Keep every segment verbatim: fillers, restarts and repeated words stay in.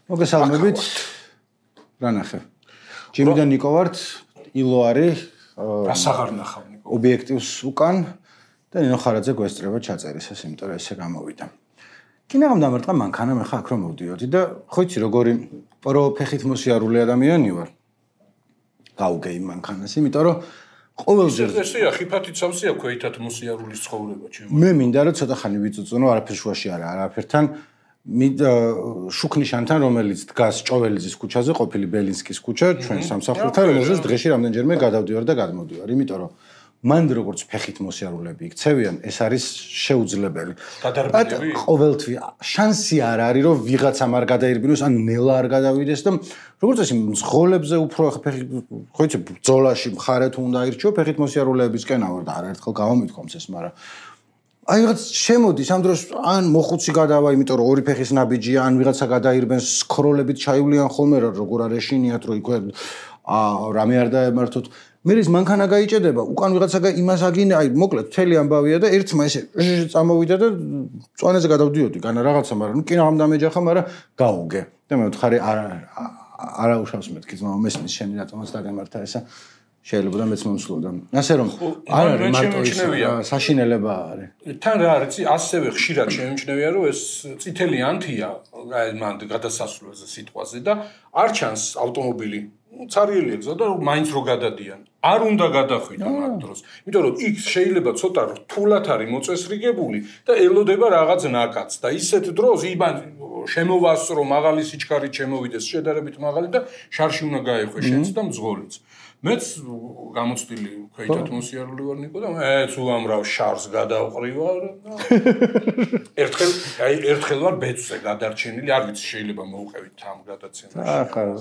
მოგესალმებით. რა ნახე? ჯიმიდან ნიკო ვართ, ილო არის. რას აღარ ნახავ ნიკო? ობიექტივს უკან და ნინო ხარაძე გვესწრება ჩაწერისას, იმიტომ რომ ესე გამოვიდა. კინაღამ დამარტყა მანქანა, მე ხა აქ რომ მოვდიოდი და ხო იცი როგორი პრო ფეხით მოსიარული ადამიანი ვარ. გავუგე იმ მანქანას, იმიტომ რომ ყოველზე ესეა ხიფათით სამსია ქვეითად მოსიარულის ცხოვრება ჩემო. მე მინდა რომ ცოტა ხანი ვიწუწუნო, არაფერ შუაში არა, არაფერთან შუქნიშანთან, რომელიც დგას ჭოველიძის ქუჩაზე, ყოფილი ბელინსკის ქუჩა, ჩვენ სამსახურთან, რომელზეც დღეში რამდენჯერმე გადავდივარ და გადმოდივარ, იმიტომ რომ მან როგორც ფეხით მოსიარულეები იქცევიან, ეს არის შეუძლებელი. გადარბინები? ყოველთვი შანსი არ არის, რომ ვიღაცამ არ გადაირბინოს, ან ნელა არ გადავიდეს და როგორც წესი მძღოლებზე უფრო ფეხით, ხო იცი, ბრძოლაში მხარე თუ უნდა აირჩიო, ფეხით მოსიარულეებისკენ ავარ და არაერთხელ გავამითქვამს ეს, მაგრამ აი რაღაც შემოდის ამ დროს ან მოხუცი გადავა, იმიტომ რომ ორი ფეხის ნაბიჯია, ან ვიღაცა გადაირბენს სქროლებით ჩაივლიან ხოლმე რა როგორ არ ეშინიათ რომ იქვე აა რამე არ დაემართოთ. მე ის მანქანა გაიჭედება, უკან ვიღაცა იმას აგინე, აი მოკლედ მთელი ამბავია და ერთმა ესე წამოვიდა და წვანეზე გადავდიოდი, განა რაღაცა, მაგრამ ნუ კინაღამ დამეჯახა, მაგრამ გავუგე. და მე ვთხარი არა არა უშავს მეთქი, მაგრამ მესმის შენი რატომაც დაგემართა ესა. შეიძლება და მეც მომსვლოდა. ასე რომ არ არის მარტო ის საშინელება არის. თან რა არის, ასევე ხშირად შემიმჩნევია, რომ ეს წითელი ანთია, აი მან გადასასვლელზე სიტყვაზე და არ ჩანს ავტომობილი. ცარიელი ეგზა და მაინც რო გადადიან. არ უნდა გადახვიდონ ამ დროს. იმიტომ რომ იქ შეიძლება ცოტა რთულად არის მოწესრიგებული და ელოდება რაღაც ნაკადს და ისეთ დროს იბან შემოვასწრო მაღალი სიჩქარით შემოვიდეს შედარებით მაღალი და შარში უნდა გაეხვე შენც და მძღოლიც. მეც გამოცდილი ქვეითად მოსიარული ვარ ნიკო და მეც უამრავ შარს გადავყრივარ. ერთხელ აი ერთხელ ვარ ბეწზე გადარჩენილი, არ ვიცი შეიძლება მოუყევით ამ გადაცემაში.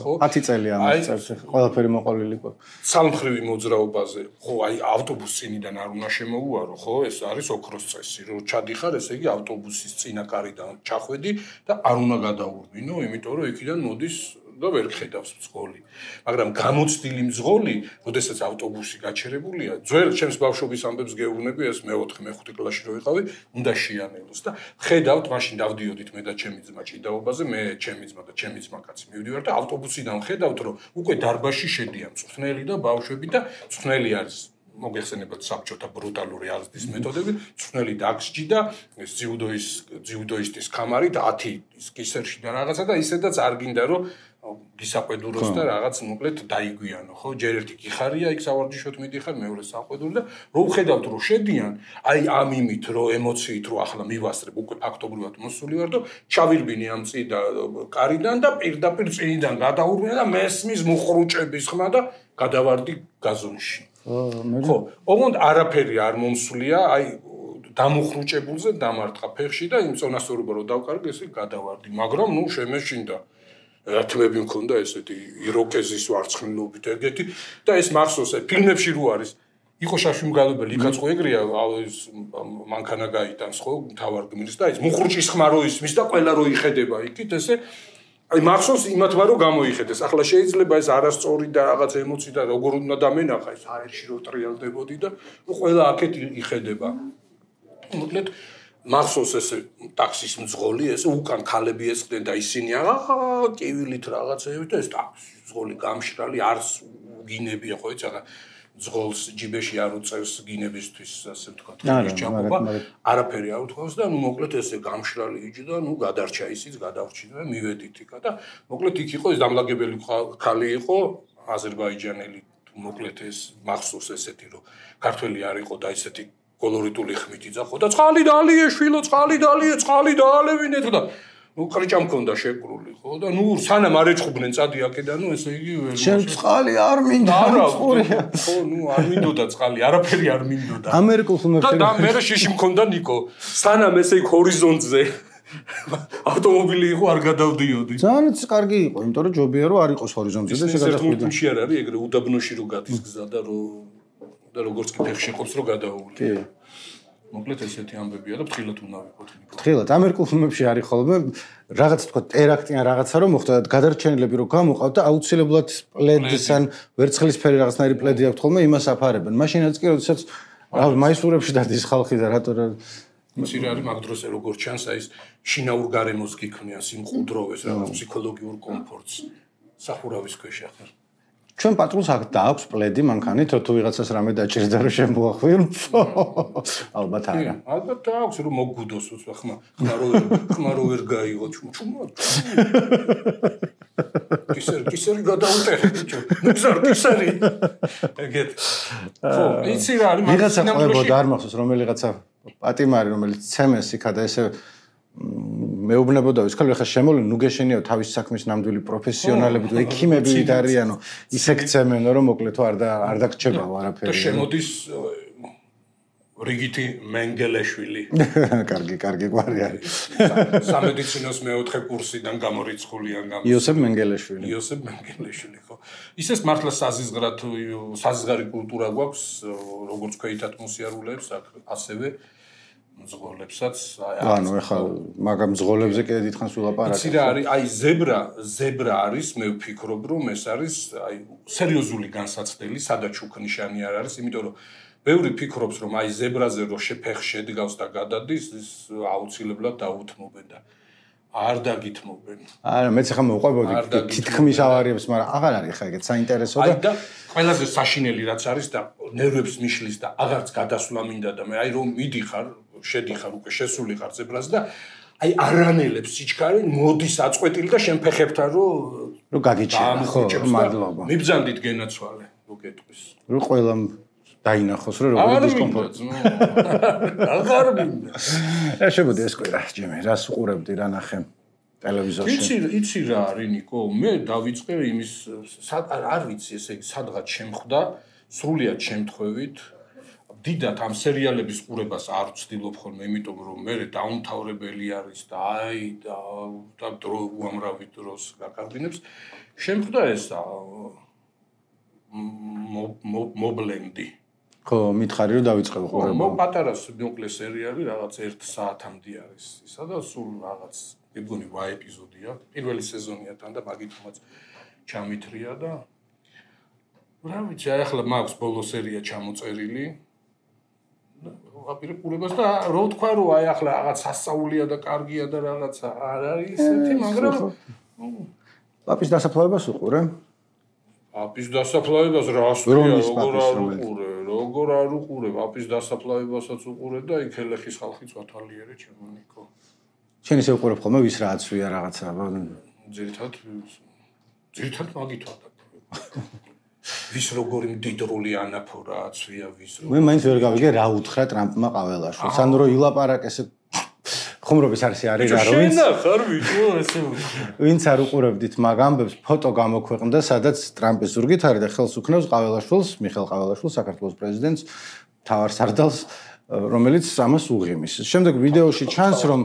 ხო, ათი წელი ამას წერს, ყველაფერი მოყოლილი ყო. ცალმხრივი მოძრაობაზე, ხო, აი ავტობუს წინიდან არ უნდა შემოუარო, ხო, ეს არის ოქროს წესი, რომ ჩადიხარ, ესე იგი ავტობუსის წინა კარიდან ჩახვედი და არ უნდა გადაურბინო, იმიტომ რომ იქიდან მოდის და ვერ ხედავს მძღოლი. მაგრამ გამოცდილი მძღოლი, როდესაც ავტობუსი გაჩერებულია, ძველ ჩემს ბავშვობის ამბებს გეუბნები, ეს მეოთხე მეხუთე კლასში რო ვიყავი, უნდა შეანელოს და ხედავთ, მაშინ დავდიოდით მე და ჩემი ძმა ჭიდაობაზე, მე ჩემი ძმა და ჩემი ძმა კაცი მივდივარ და ავტობუსიდან ხედავთ, რომ უკვე დარბაზში შედიან მწვრთნელი და ბავშვები და მწვრთნელი არის მოგეხსენებათ საბჭოთა ბრუტალური აღზრდის მეთოდები, მწვრთნელი დაგსჯი და ეს ძიუდოის ძიუდოისტის კამარი და ათი კისერში და რაღაცა და ისედაც არ გინდა რომ გისაყვედუროს და რაღაც მოკლედ დაიგვიანო, ხო? ჯერ ერთი გიხარია, იქ სავარჯიშოთ მიდიხარ, მეორე საყვედური და რო ვხედავთ რომ შედიან, აი ამ იმით რომ ემოციით რომ ახლა მივასწრებ, უკვე ფაქტობრივად მოსული ვარ და ჩავირბინე ამ წიდა კარიდან და პირდაპირ წინიდან გადაურბინე და მესმის მუხრუჭების ხმა და გადავარდი გაზონში. ხო, ოღონდ არაფერი არ მომსვლია, აი დამუხრუჭებულზე დამარტყა ფეხში და იმ წონასწორობა რომ დავკარგე, ესე გადავარდი, მაგრამ ნუ შემეშინდა. რათმები მქონდა ესეთი იროკეზის ვარცხნილობით ეგეთი და ეს მახსოვს ფილმებში რო არის იყო შაშუმგალობელი იქაც ხო ეგრეა ეს მანქანა გაიტანს ხო თავარ გმირს და ეს მუხრუჭის ხმა რო ისმის და ყველა რო იხედება იქით ესე აი მახსოვს იმათმა რო გამოიხედეს ახლა შეიძლება ეს არასწორი და რაღაც ემოცი და როგორ უნდა დამენახა ეს აერში რო ტრიალდებოდი და ნუ ყველა აქეთ იხედება მოკლედ მახსოვს ესე ტაქსის მძღოლი ესე უკან ქალები ესხდნენ და ისინი აა ტივილით რაღაცეებით და ეს ტაქსის მძღოლი გამშრალი არს გინებია ხო იცი ახლა მძღოლს ჯიბეში არ უწევს გინებისთვის ასე ვთქვათ ჩაყობა არაფერი არ უთქვას და ნუ მოკლედ ესე გამშრალი იჯი და ნუ გადარჩა ისიც გადავრჩინა და მივედით იქა და მოკლედ იქ იყო ეს დამლაგებელი ქალი იყო აზერბაიჯანელი მოკლედ ეს მახსოვს ესეთი რომ ქართველი არ იყო და ესეთი კოლორიტული ხმით იძახო და წყალი დაალიე შვილო წყალი დაალიე წყალი დაალევინეთ და ნუ ყრიჭა მქონდა შეკრული ხო და ნუ სანამ არ ეჭხუბნენ წადი აქედან ნუ ესე იგი ვერ შენ წყალი არ მინდა წყურია ხო ნუ არ მინდოდა წყალი არაფერი არ მინდოდა ამერიკულ ფილმებში და მე შეში მქონდა ნიკო სანამ ესე იქ ჰორიზონტზე ავტომობილი იყო არ გადავდიოდი ძალიან კარგი იყო იმიტომ რომ ჯობია რომ არ იყოს ჰორიზონტზე და შეგადახვიდე ფილმში არ არის ეგრე უდაბნოში რო გადის გზა და რო და როგორც კი ფეხში ყოფს რო გადაული. კი. მოკლედ ესეთი ამბებია და ფრთხილად უნდა ვიყოთ ნიკო. ფრთხილად ამერიკულ ფილმებში არის ხოლმე რაღაც თქვა ტერაქტი ან რაღაცა რომ მოხდა და გადარჩენილები რო გამოყავთ და აუცილებლად პლედს ან ვერცხლისფერი რაღაცნაირი პლედი აქვთ ხოლმე იმას აფარებენ. მაშინაც კი როდესაც რა მაისურებში დადის ხალხი და რატო იცი რა არის მაგ დროს როგორ ჩანს აი ეს შინაურ გარემოს გიქმნიან სიმყუდროვეს რაღაც ფსიქოლოგიურ კომფორტს სახურავის ქვეშ ახლა ჩვენ პატრულს აქ დააქვს პლედი მანქანით თუ ვიღაცას რამე დაჭირდა რომ შემოახვირო ალბათ არა ალბათ დააქვს რომ მოგგუდოს უცბა ხმა ხმა რო ხმა რო ვერ გაიღო ჩუმჩუმა კისერი კისერი გადაუტეხე ბიჭო მგზარ კისერი ეგეთ ხო იცი რა არის მაგ ვიღაცა არ მახსოვს რომელიღაცა პატიმარი რომელიც ცემეს იქადა ესე მეუბნებოდა ის ქალი ხა შემოვლენ ნუ გეშენიო თავის საქმის ნამდვილი პროფესიონალები თუ ექიმები ვით არიანო ისე გცემენო რომ მოკლედ თუ არ და არ დაგჭებაო არაფერი და შემოდის რიგითი მენგელეშვილი კარგი კარგი გვარი არის სამედიცინოს მეოთხე კურსიდან გამორიცხულია გამო იოსებ მენგელეშვილი იოსებ მენგელეშვილი ხო ისეს მართლა საზიზღრად საზიზღარი კულტურა გვაქვს როგორც ქვეითად მოსიარულეებს ასევე მძღოლებსაც ანუ ეხლა მაგამ მძღოლებზე კიდე დიდხანს ვილაპარაკებ. იცი რა არის? აი ზებრა, ზებრა არის, მე ვფიქრობ, რომ ეს არის აი სერიოზული განსაცდელი, სადაც უკნიშანი არ არის, იმიტომ რომ ბევრი ფიქრობს, რომ აი ზებრაზე რო შეფეხ შედგავს და გადადის, ის აუცილებლად დაუთმობენ და არ დაგითმობენ. არა, მეც ახლა მოვყვებოდი თითქმის ავარიებს, მაგრამ აღარ არის ხა ეგეთ საინტერესო და აი და ყველაზე საშინელი რაც არის და ნერვებს მიშლის და აღარც გადასვლა მინდა და მე აი რომ მიდიხარ შედიხარ უკვე შესულიყარ ზებრაზე და აი არანელებს სიჩქარე მოდის აწყვეტილი და შენ ფეხებთან რო რო გაგიჩერა ხო მადლობა მიბძანდით გენაცვალე რო გეტყვის რო ყველამ დაინახოს რომ როგორი დისკომფორტი აღარ მინდა ეს შემოდი ეს კვირა ჯემი რას უყურებდი რა ნახე ტელევიზორში იცი იცი რა არის ნიკო მე დავიწყე იმის არ ვიცი ესე იგი სადღაც შემხვდა სრულიად შემთხვევით დიდად ამ სერიალების ყურებას არ ვცდილობ ხოლმე, იმიტომ რომ მე დაუმთავრებელი არის და აი და და დრო უამრავი დროს გაკარგინებს. შემხვდა ესა მობლენდი. ხო, მითხარი რომ დავიწყე ყურება. მო პატარა მოკლე სერიალი რაღაც ერთ საათამდე არის. ისა და სულ რაღაც მეგონი ვა ეპიზოდია. პირველი სეზონია თან და მაგითაც ჩამithრია და რა ვიცი, აი ახლა მაქვს ბოლო სერია ჩამოწერილი. აპირებ ყურებას და რო თქვა რომ აი ახლა რაღაც სასწაულია და კარგია და რაღაცა არ არის ისეთი მაგრამ პაპის დასაფლავებას უყურე? პაპის დასაფლავებას რას ვიყურე როგორ არ უყურე როგორ არ უყურე პაპის დასაფლავებასაც უყურე და იქ ელეხის ხალხიც ვათვალიერე ჩემო ნიკო შენ ისე უყურებ ხოლმე ვის რა აცვია რაღაცა ძირითადად ძირითადად მაგით ვატაკ ვის როგორი მდიდრული ანაფორა აცვია ვის როგორ მე მაინც ვერ გავიგე რა უთხრა ტრამპმა ყაველაშვილს ანუ რომ ილაპარაკეს ხუმრობის არსი არის რა რომ შენ ხარ ვიჭო ესე ვინც არ უყურებდით მაგ ამბებს ფოტო გამოქვეყნდა სადაც ტრამპის ზურგით არის და ხელს უქნევს ყაველაშვილს მიხეილ ყაველაშვილს საქართველოს პრეზიდენტს მთავარ სარდალს რომელიც ამას უღიმის შემდეგ ვიდეოში ჩანს რომ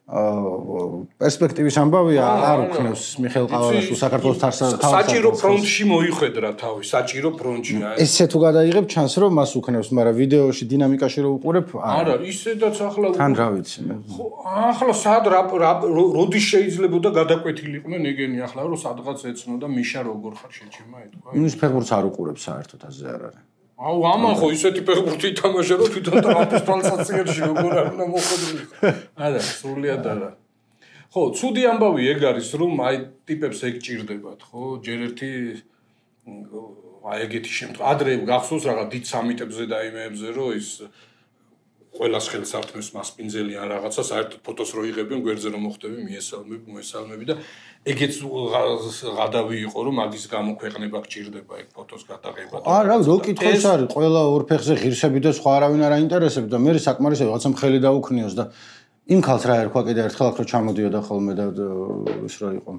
პერსპექტივის ამბავია არ უქნევს მიხეილ ყაველაშვილს საქართველოს თავსა საჭირო ფრონტში მოიხვედრა თავი საჭირო ფრონტშია ესე თუ გადაიღებ ჩანს რომ მას უქნევს მაგრამ ვიდეოში დინამიკაში რო უყურებ არა ისედაც ახლა თან რა ვიცი მე ხო ახლა სად როდის შეიძლებოდა გადაკვეთილიყვნენ ეგენი ახლა რომ სადღაც ეცნო და მიშა როგორ ხარ შეჩემა ეთქვა ის ფეხბურთს არ უყურებ საერთოდ ასე არ არის აუ ამან ხო ისეთი ფეხბურთი ითამაშა რომ თვითონ ტრამპის თვალსაჩინოში როგორ არ უნდა მოხდრილიყო არა სრულიად არა ხო ცუდი ამბავი ეგ არის რომ აი ტიპებს ეგ ჭირდებათ ხო ჯერ ერთი აი ეგეთი შემთხვევა ადრე გახსოვს რაღაც დიდ სამიტებზე და იმეებზე რომ ის ყველას ხელს ართმევს მასპინძელიან რაღაცა საერთოდ ფოტოს რო იღებენ გვერდზე რომ მოხდები მიესალმები მოესალმები და ეგეც ღადავი იყო რომ მაგის გამოქვეყნება გჭირდება ეგ ფოტოს გადაღება არა რო კითხოს არის ყველა ორ ფეხზე ღირსები და სხვა არავინ არ აინტერესებს და მე საკმარისია რაღაცა მხელი დაუქნიოს და იმ ქალს რა ერქვა კიდე ერთხელ აქ რო ჩამოდიოდა ხოლმე და ის რა იყო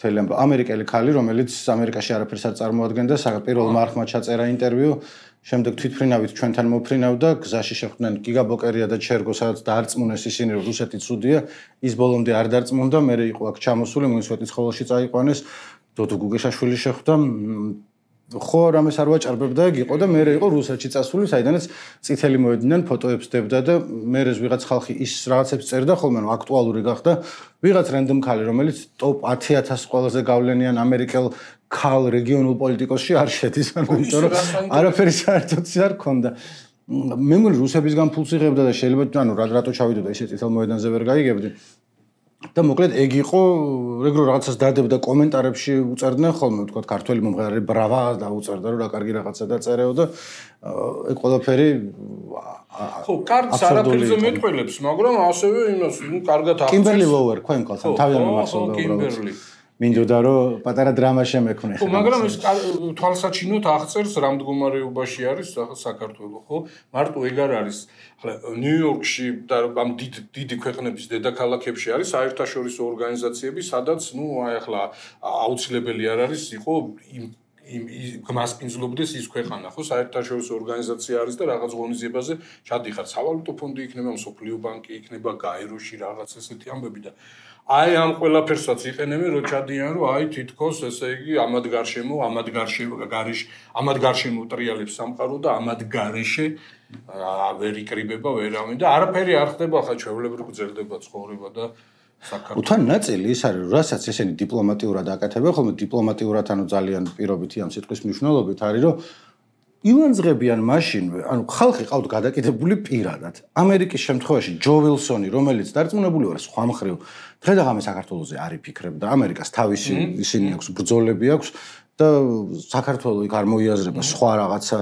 მთელი ამერიკელი ქალი რომელიც ამერიკაში არაფერს არ წარმოადგენდა პირველ მარხმა ჩაწერა ინტერვიუ შემდეგ თვითფრინავით ჩვენთან მოფრინავდა გზაში შეხვდნენ გიგაბოკერია და ჩერგო სადაც დაარწმუნეს ისინი რომ რუსეთი ცუდია ის ბოლომდე არ დარწმუნდა მე იყო აქ ჩამოსული მუნიციპალიტეტის ხოველში წაიყვანეს დოდო გუგეშაშვილი შეხვდა ხო რამეს არ ვაჭარბებდა ეგ იყო და მე იყო რუსეთში წასული საიდანაც წითელი მოედინან ფოტოებს დებდა და მე ვიღაც ხალხი ის რაღაცებს წერდა ხოლმე რომ აქტუალური გახდა ვიღაც რენდომ ქალი რომელიც ტოპ ათი ათას ყველაზე გავლენიან ამერიკელ ქალ რეგიონულ პოლიტიკოსში არ შედის ანუ იმიტომ რომ არაფერი საერთოდ არ ქონდა მე მგონი რუსებისგან ფულს იღებდა და შეიძლება ანუ რატო ჩავიდოდა ისე წითელ მოედანზე ვერ გაიგებდი. და მოკლედ ეგ იყო ეგ რო რაღაცას დადებდა კომენტარებში უწერდნენ ხოლმე თქვა ქართველი მომღერალი ბრავა და უწერდა რომ რა კარგი რაღაცა დაწერეო და ეგ ყველაფერი ხო კარგს არაფერზე მეტყველებს მაგრამ ასევე იმას ნუ კარგად აღწევს კიმბერლი ლოუერ ქვენ კალთან თავიდან მახსოვდა უბრალოდ მინდოდა რომ პატარა დრამა შემექმნე ხო მაგრამ ეს თვალსაჩინოდ აღწერს რა მდგომარეობაში არის საქართველოს ხო მარტო ეგ არ არის ახლა ნიუ-იორკში და ამ დიდი ქვეყნების დედაქალაქებში არის საერთაშორისო ორგანიზაციები სადაც ნუ აი ახლა აუცილებელი არ არის იყო იმ გმასპინძლობდეს ის ქვეყანა ხო საერთაშორისო ორგანიზაცია არის და რაღაც ღონისძიებაზე ჩადიხარ სავალუტო ფონდი იქნება მსოფლიო ბანკი იქნება გაეროში რაღაც ესეთი ამბები და აი ამ ყველაფერსაც იყენებენ რომ ჩადიან რომ აი თითქოს ესე იგი ამად გარშემო ამად გარშემო გარეშე ამად გარშემო ტრიალებს სამყარო და ამად გარეშე ვერ იკრიბება ვერავინ და არაფერი არ ხდება ხა ჩვეულებრივ გრძელდება ცხოვრება და საქართველოს უთან ნაწილი ის არის რომ რასაც ესენი დიპლომატიურად აკეთებენ ხოლმე დიპლომატიურად ანუ ძალიან პირობითი ამ სიტყვის მნიშვნელობით არის რომ ივანძღებიან მაშინვე ანუ ხალხი ყავთ გადაკეთებული პირადად ამერიკის შემთხვევაში ჯო ვილსონი რომელიც დარწმუნებული ვარ სხვა მხრივ დღე-დღე საქართველოზე არ იფიქრებდა ამერიკას თავისი ისინი აქვს ბრძოლები აქვს და საქართველოს იქ არ მოიაზრება სხვა რაღაცა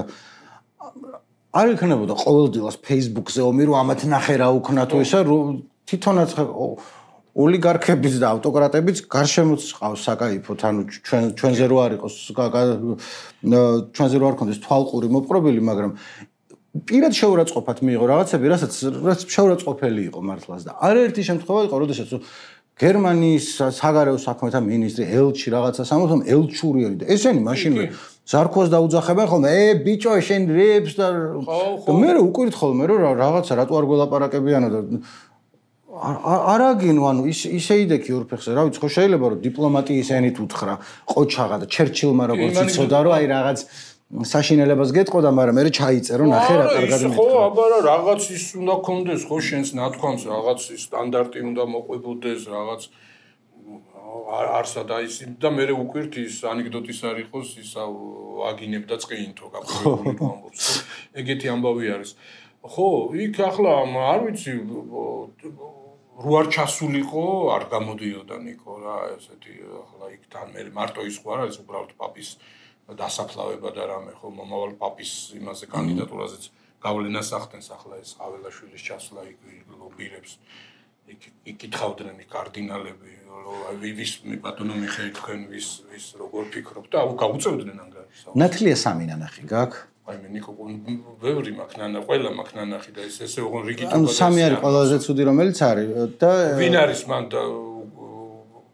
არ იქნებოდა ყოველდღიურად Facebook-ზე ომი რომ ამათ ნახე რა უქნა თუ ისა თვითონაც ოლიგარქებიც და ავტოკრატებიც გარშემოც ყავს საკაიფოთ ანუ ჩვენ ჩვენზე რო არ იყოს ჩვენზე რო არ ქონდეს თვალყური მოპყრობილი მაგრამ პირად შეურაცხყოფად მიიღო რაღაცები რასაც რაც შეურაცხყოფელი იყო მართლაც და არაერთი შემთხვევა იყო როდესაც გერმანიის საგარეო საქმეთა მინისტრი ელჩი რაღაცა სამოთომ ელჩურიელი და ესენი მაშინვე ზარქოს დაუძახებენ ხოლმე ე ბიჭო შენ რეებს და მე უკვირთ ხოლმე რომ რაღაცა რატო არ გველაპარაკებიანო და არაგინო ანუ ის ისე იდექი ორ ფეხზე რა ვიცი ხო შეიძლება რომ დიპლომატიის ენით უთხრა ყოჩაღა და ჩერჩილმა როგორც იცოდა რომ აი რაღაც საშინელებას გეტყოდა მაგრამ მე ჩაიწერო ნახე რა კარგად მითქვა ხო აბა რა რაღაც ის უნდა კონდეს ხო შენს ნათქვამს რაღაც სტანდარტი უნდა მოყვებოდეს რაღაც არსად აი ის და მე უკვირთ ის ანეკდოტის არ იყოს ის აგინებდა წკინთო გაფრთხილებული ამბობს ეგეთი ამბავი არის ხო იქ ახლა არ ვიცი რო არ ჩასულიყო არ გამოდიოდა ნიკო რა ესეთი ახლა იქ თან მე მარტო ის ხო არ არის უბრალოდ პაპის დასაფლავება და რამე ხო მომავალ პაპის იმაზე კანდიდატურაზეც გავლენას ახდენს ახლა ეს ყაველაშვილის ჩასვლა იქ ლობირებს იქ იკითხავდნენ კარდინალები რომ ვის ბატონო მიხეილ თქვენ ვის ვის როგორ ფიქრობთ და გაუწევდნენ ანგარიშს ნათლია სამი ნანახი გაქვს აი მე ნიკო ბევრი მაქვს ნანა ყველა მაქვს ნანახი და ეს ესე ოღონ რიგით ანუ სამი არის ყველაზე ცუდი რომელიც არის და ვინ არის მან და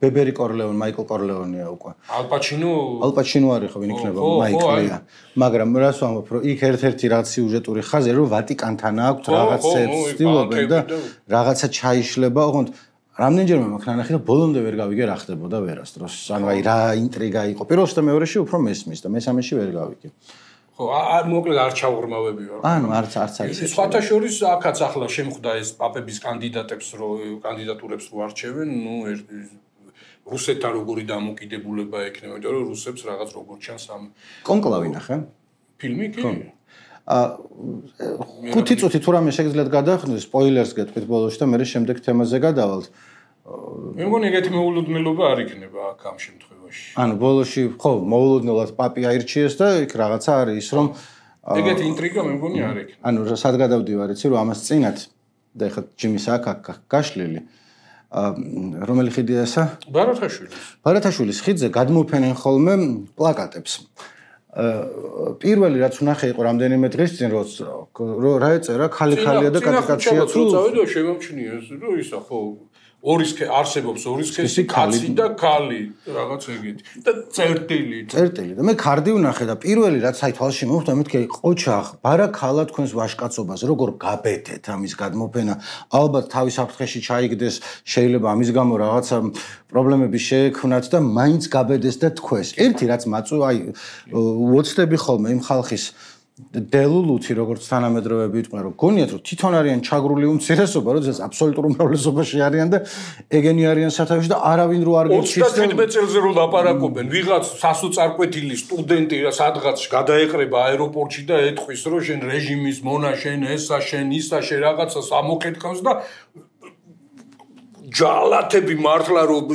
ბებერი კორლეონი მაიკლ კორლეონია უკვე ალპაჩინო ალპაჩინო არის ხო ვინ იქნება მაიკლია მაგრამ რას ვამბობ რომ იქ ერთ-ერთი რაც სიუჟეტური ხაზი რომ ვატიკანთან აქვს რაღაცებს ცდილობენ და რაღაცა ჩაიშლება ოღონდ რამდენჯერმე მაქვს ნანახი და ბოლომდე ვერ გავიგე რა ხდებოდა ვერასდროს ანუ აი რა ინტრიგა იყო პირველში და მეორეში უფრო მესმის და მესამეში ვერ გავიგე ხო არ მოკლედ არ ჩაუღრმავები ვარ ანუ არც არც არის სხვათა შორის აქაც ახლა შემხვდა ეს პაპების კანდიდატებს რო კანდიდატურებს რო არჩევენ ნუ რუსეთთან როგორი დამოკიდებულება ექნება იმიტომ რომ რუსებს რაღაც როგორ ჩანს ამ კონკლავი ნახე ფილმი კი ა ხუთი წუთი თუ რამე შეგიძლიათ გადაახდეთ სპოილერს გეტყვით ბოლოში და მე შემდეგ თემაზე გადავალთ მე მგონი ეგეთი მოულოდნელობა არ იქნება აქ ამ შემთხვევაში ანუ ბოლოში ხო მოულოდნელად პაპი აირჩიეს და იქ რაღაცა არის ის რომ ეგეთი ინტრიგა მე მგონი არ იქნება ანუ სად გადავდივარ იცი რომ ამას წინათ და ეხლა ჯიმის აქ გაშლილი რომელი ხიდია ესა? ბარათაშვილის. ბარათაშვილის ხიდზე გადმოფენენ ხოლმე პლაკატებს. პირველი რაც ვნახე იყო რამდენიმე დღის წინ რომ რა ეწერა ქალი-ქალია და კატიკაცია თუ წავიდა შემომჩნია ეს რომ ისა ხო ორის არსებობს ორის სქესი კაცი და ქალი რაღაც ეგეთი და წერტილი წერტილი და მე კარდი ვნახე და პირველი რაც აი თვალში მოხვდა მეთქე ყოჩახ ბარაქალა თქვენს ვაშკაცობას როგორ გაბედეთ ამის გადმოფენა ალბათ თავის საფრთხეში ჩაიგდეს შეიძლება ამის გამო რაღაცა პრობლემები შეექმნათ და მაინც გაბედეს და თქვეს ერთი რაც მაწუ აი უოცდები ხოლმე იმ ხალხის დელულუთი როგორც თანამედროვეები იყვნენ რომ გონიათ რომ თვითონ არიან ჩაგრული უმცირესობა როდესაც აბსოლუტურ უმრავლესობაში არიან და ეგენი არიან სათავეში და არავინ რო არ გეჩის ოცდათერთმეტ წელზე რო ლაპარაკობენ ვიღაც სასოწარკვეთილი სტუდენტი სადღაც გადაეყრება აეროპორტში და ეთქვის რომ შენ რეჟიმის მონა შენ ესა შენ ისა შენ რაღაცას ამოქეთქავს და ჯალათები მართლა რომ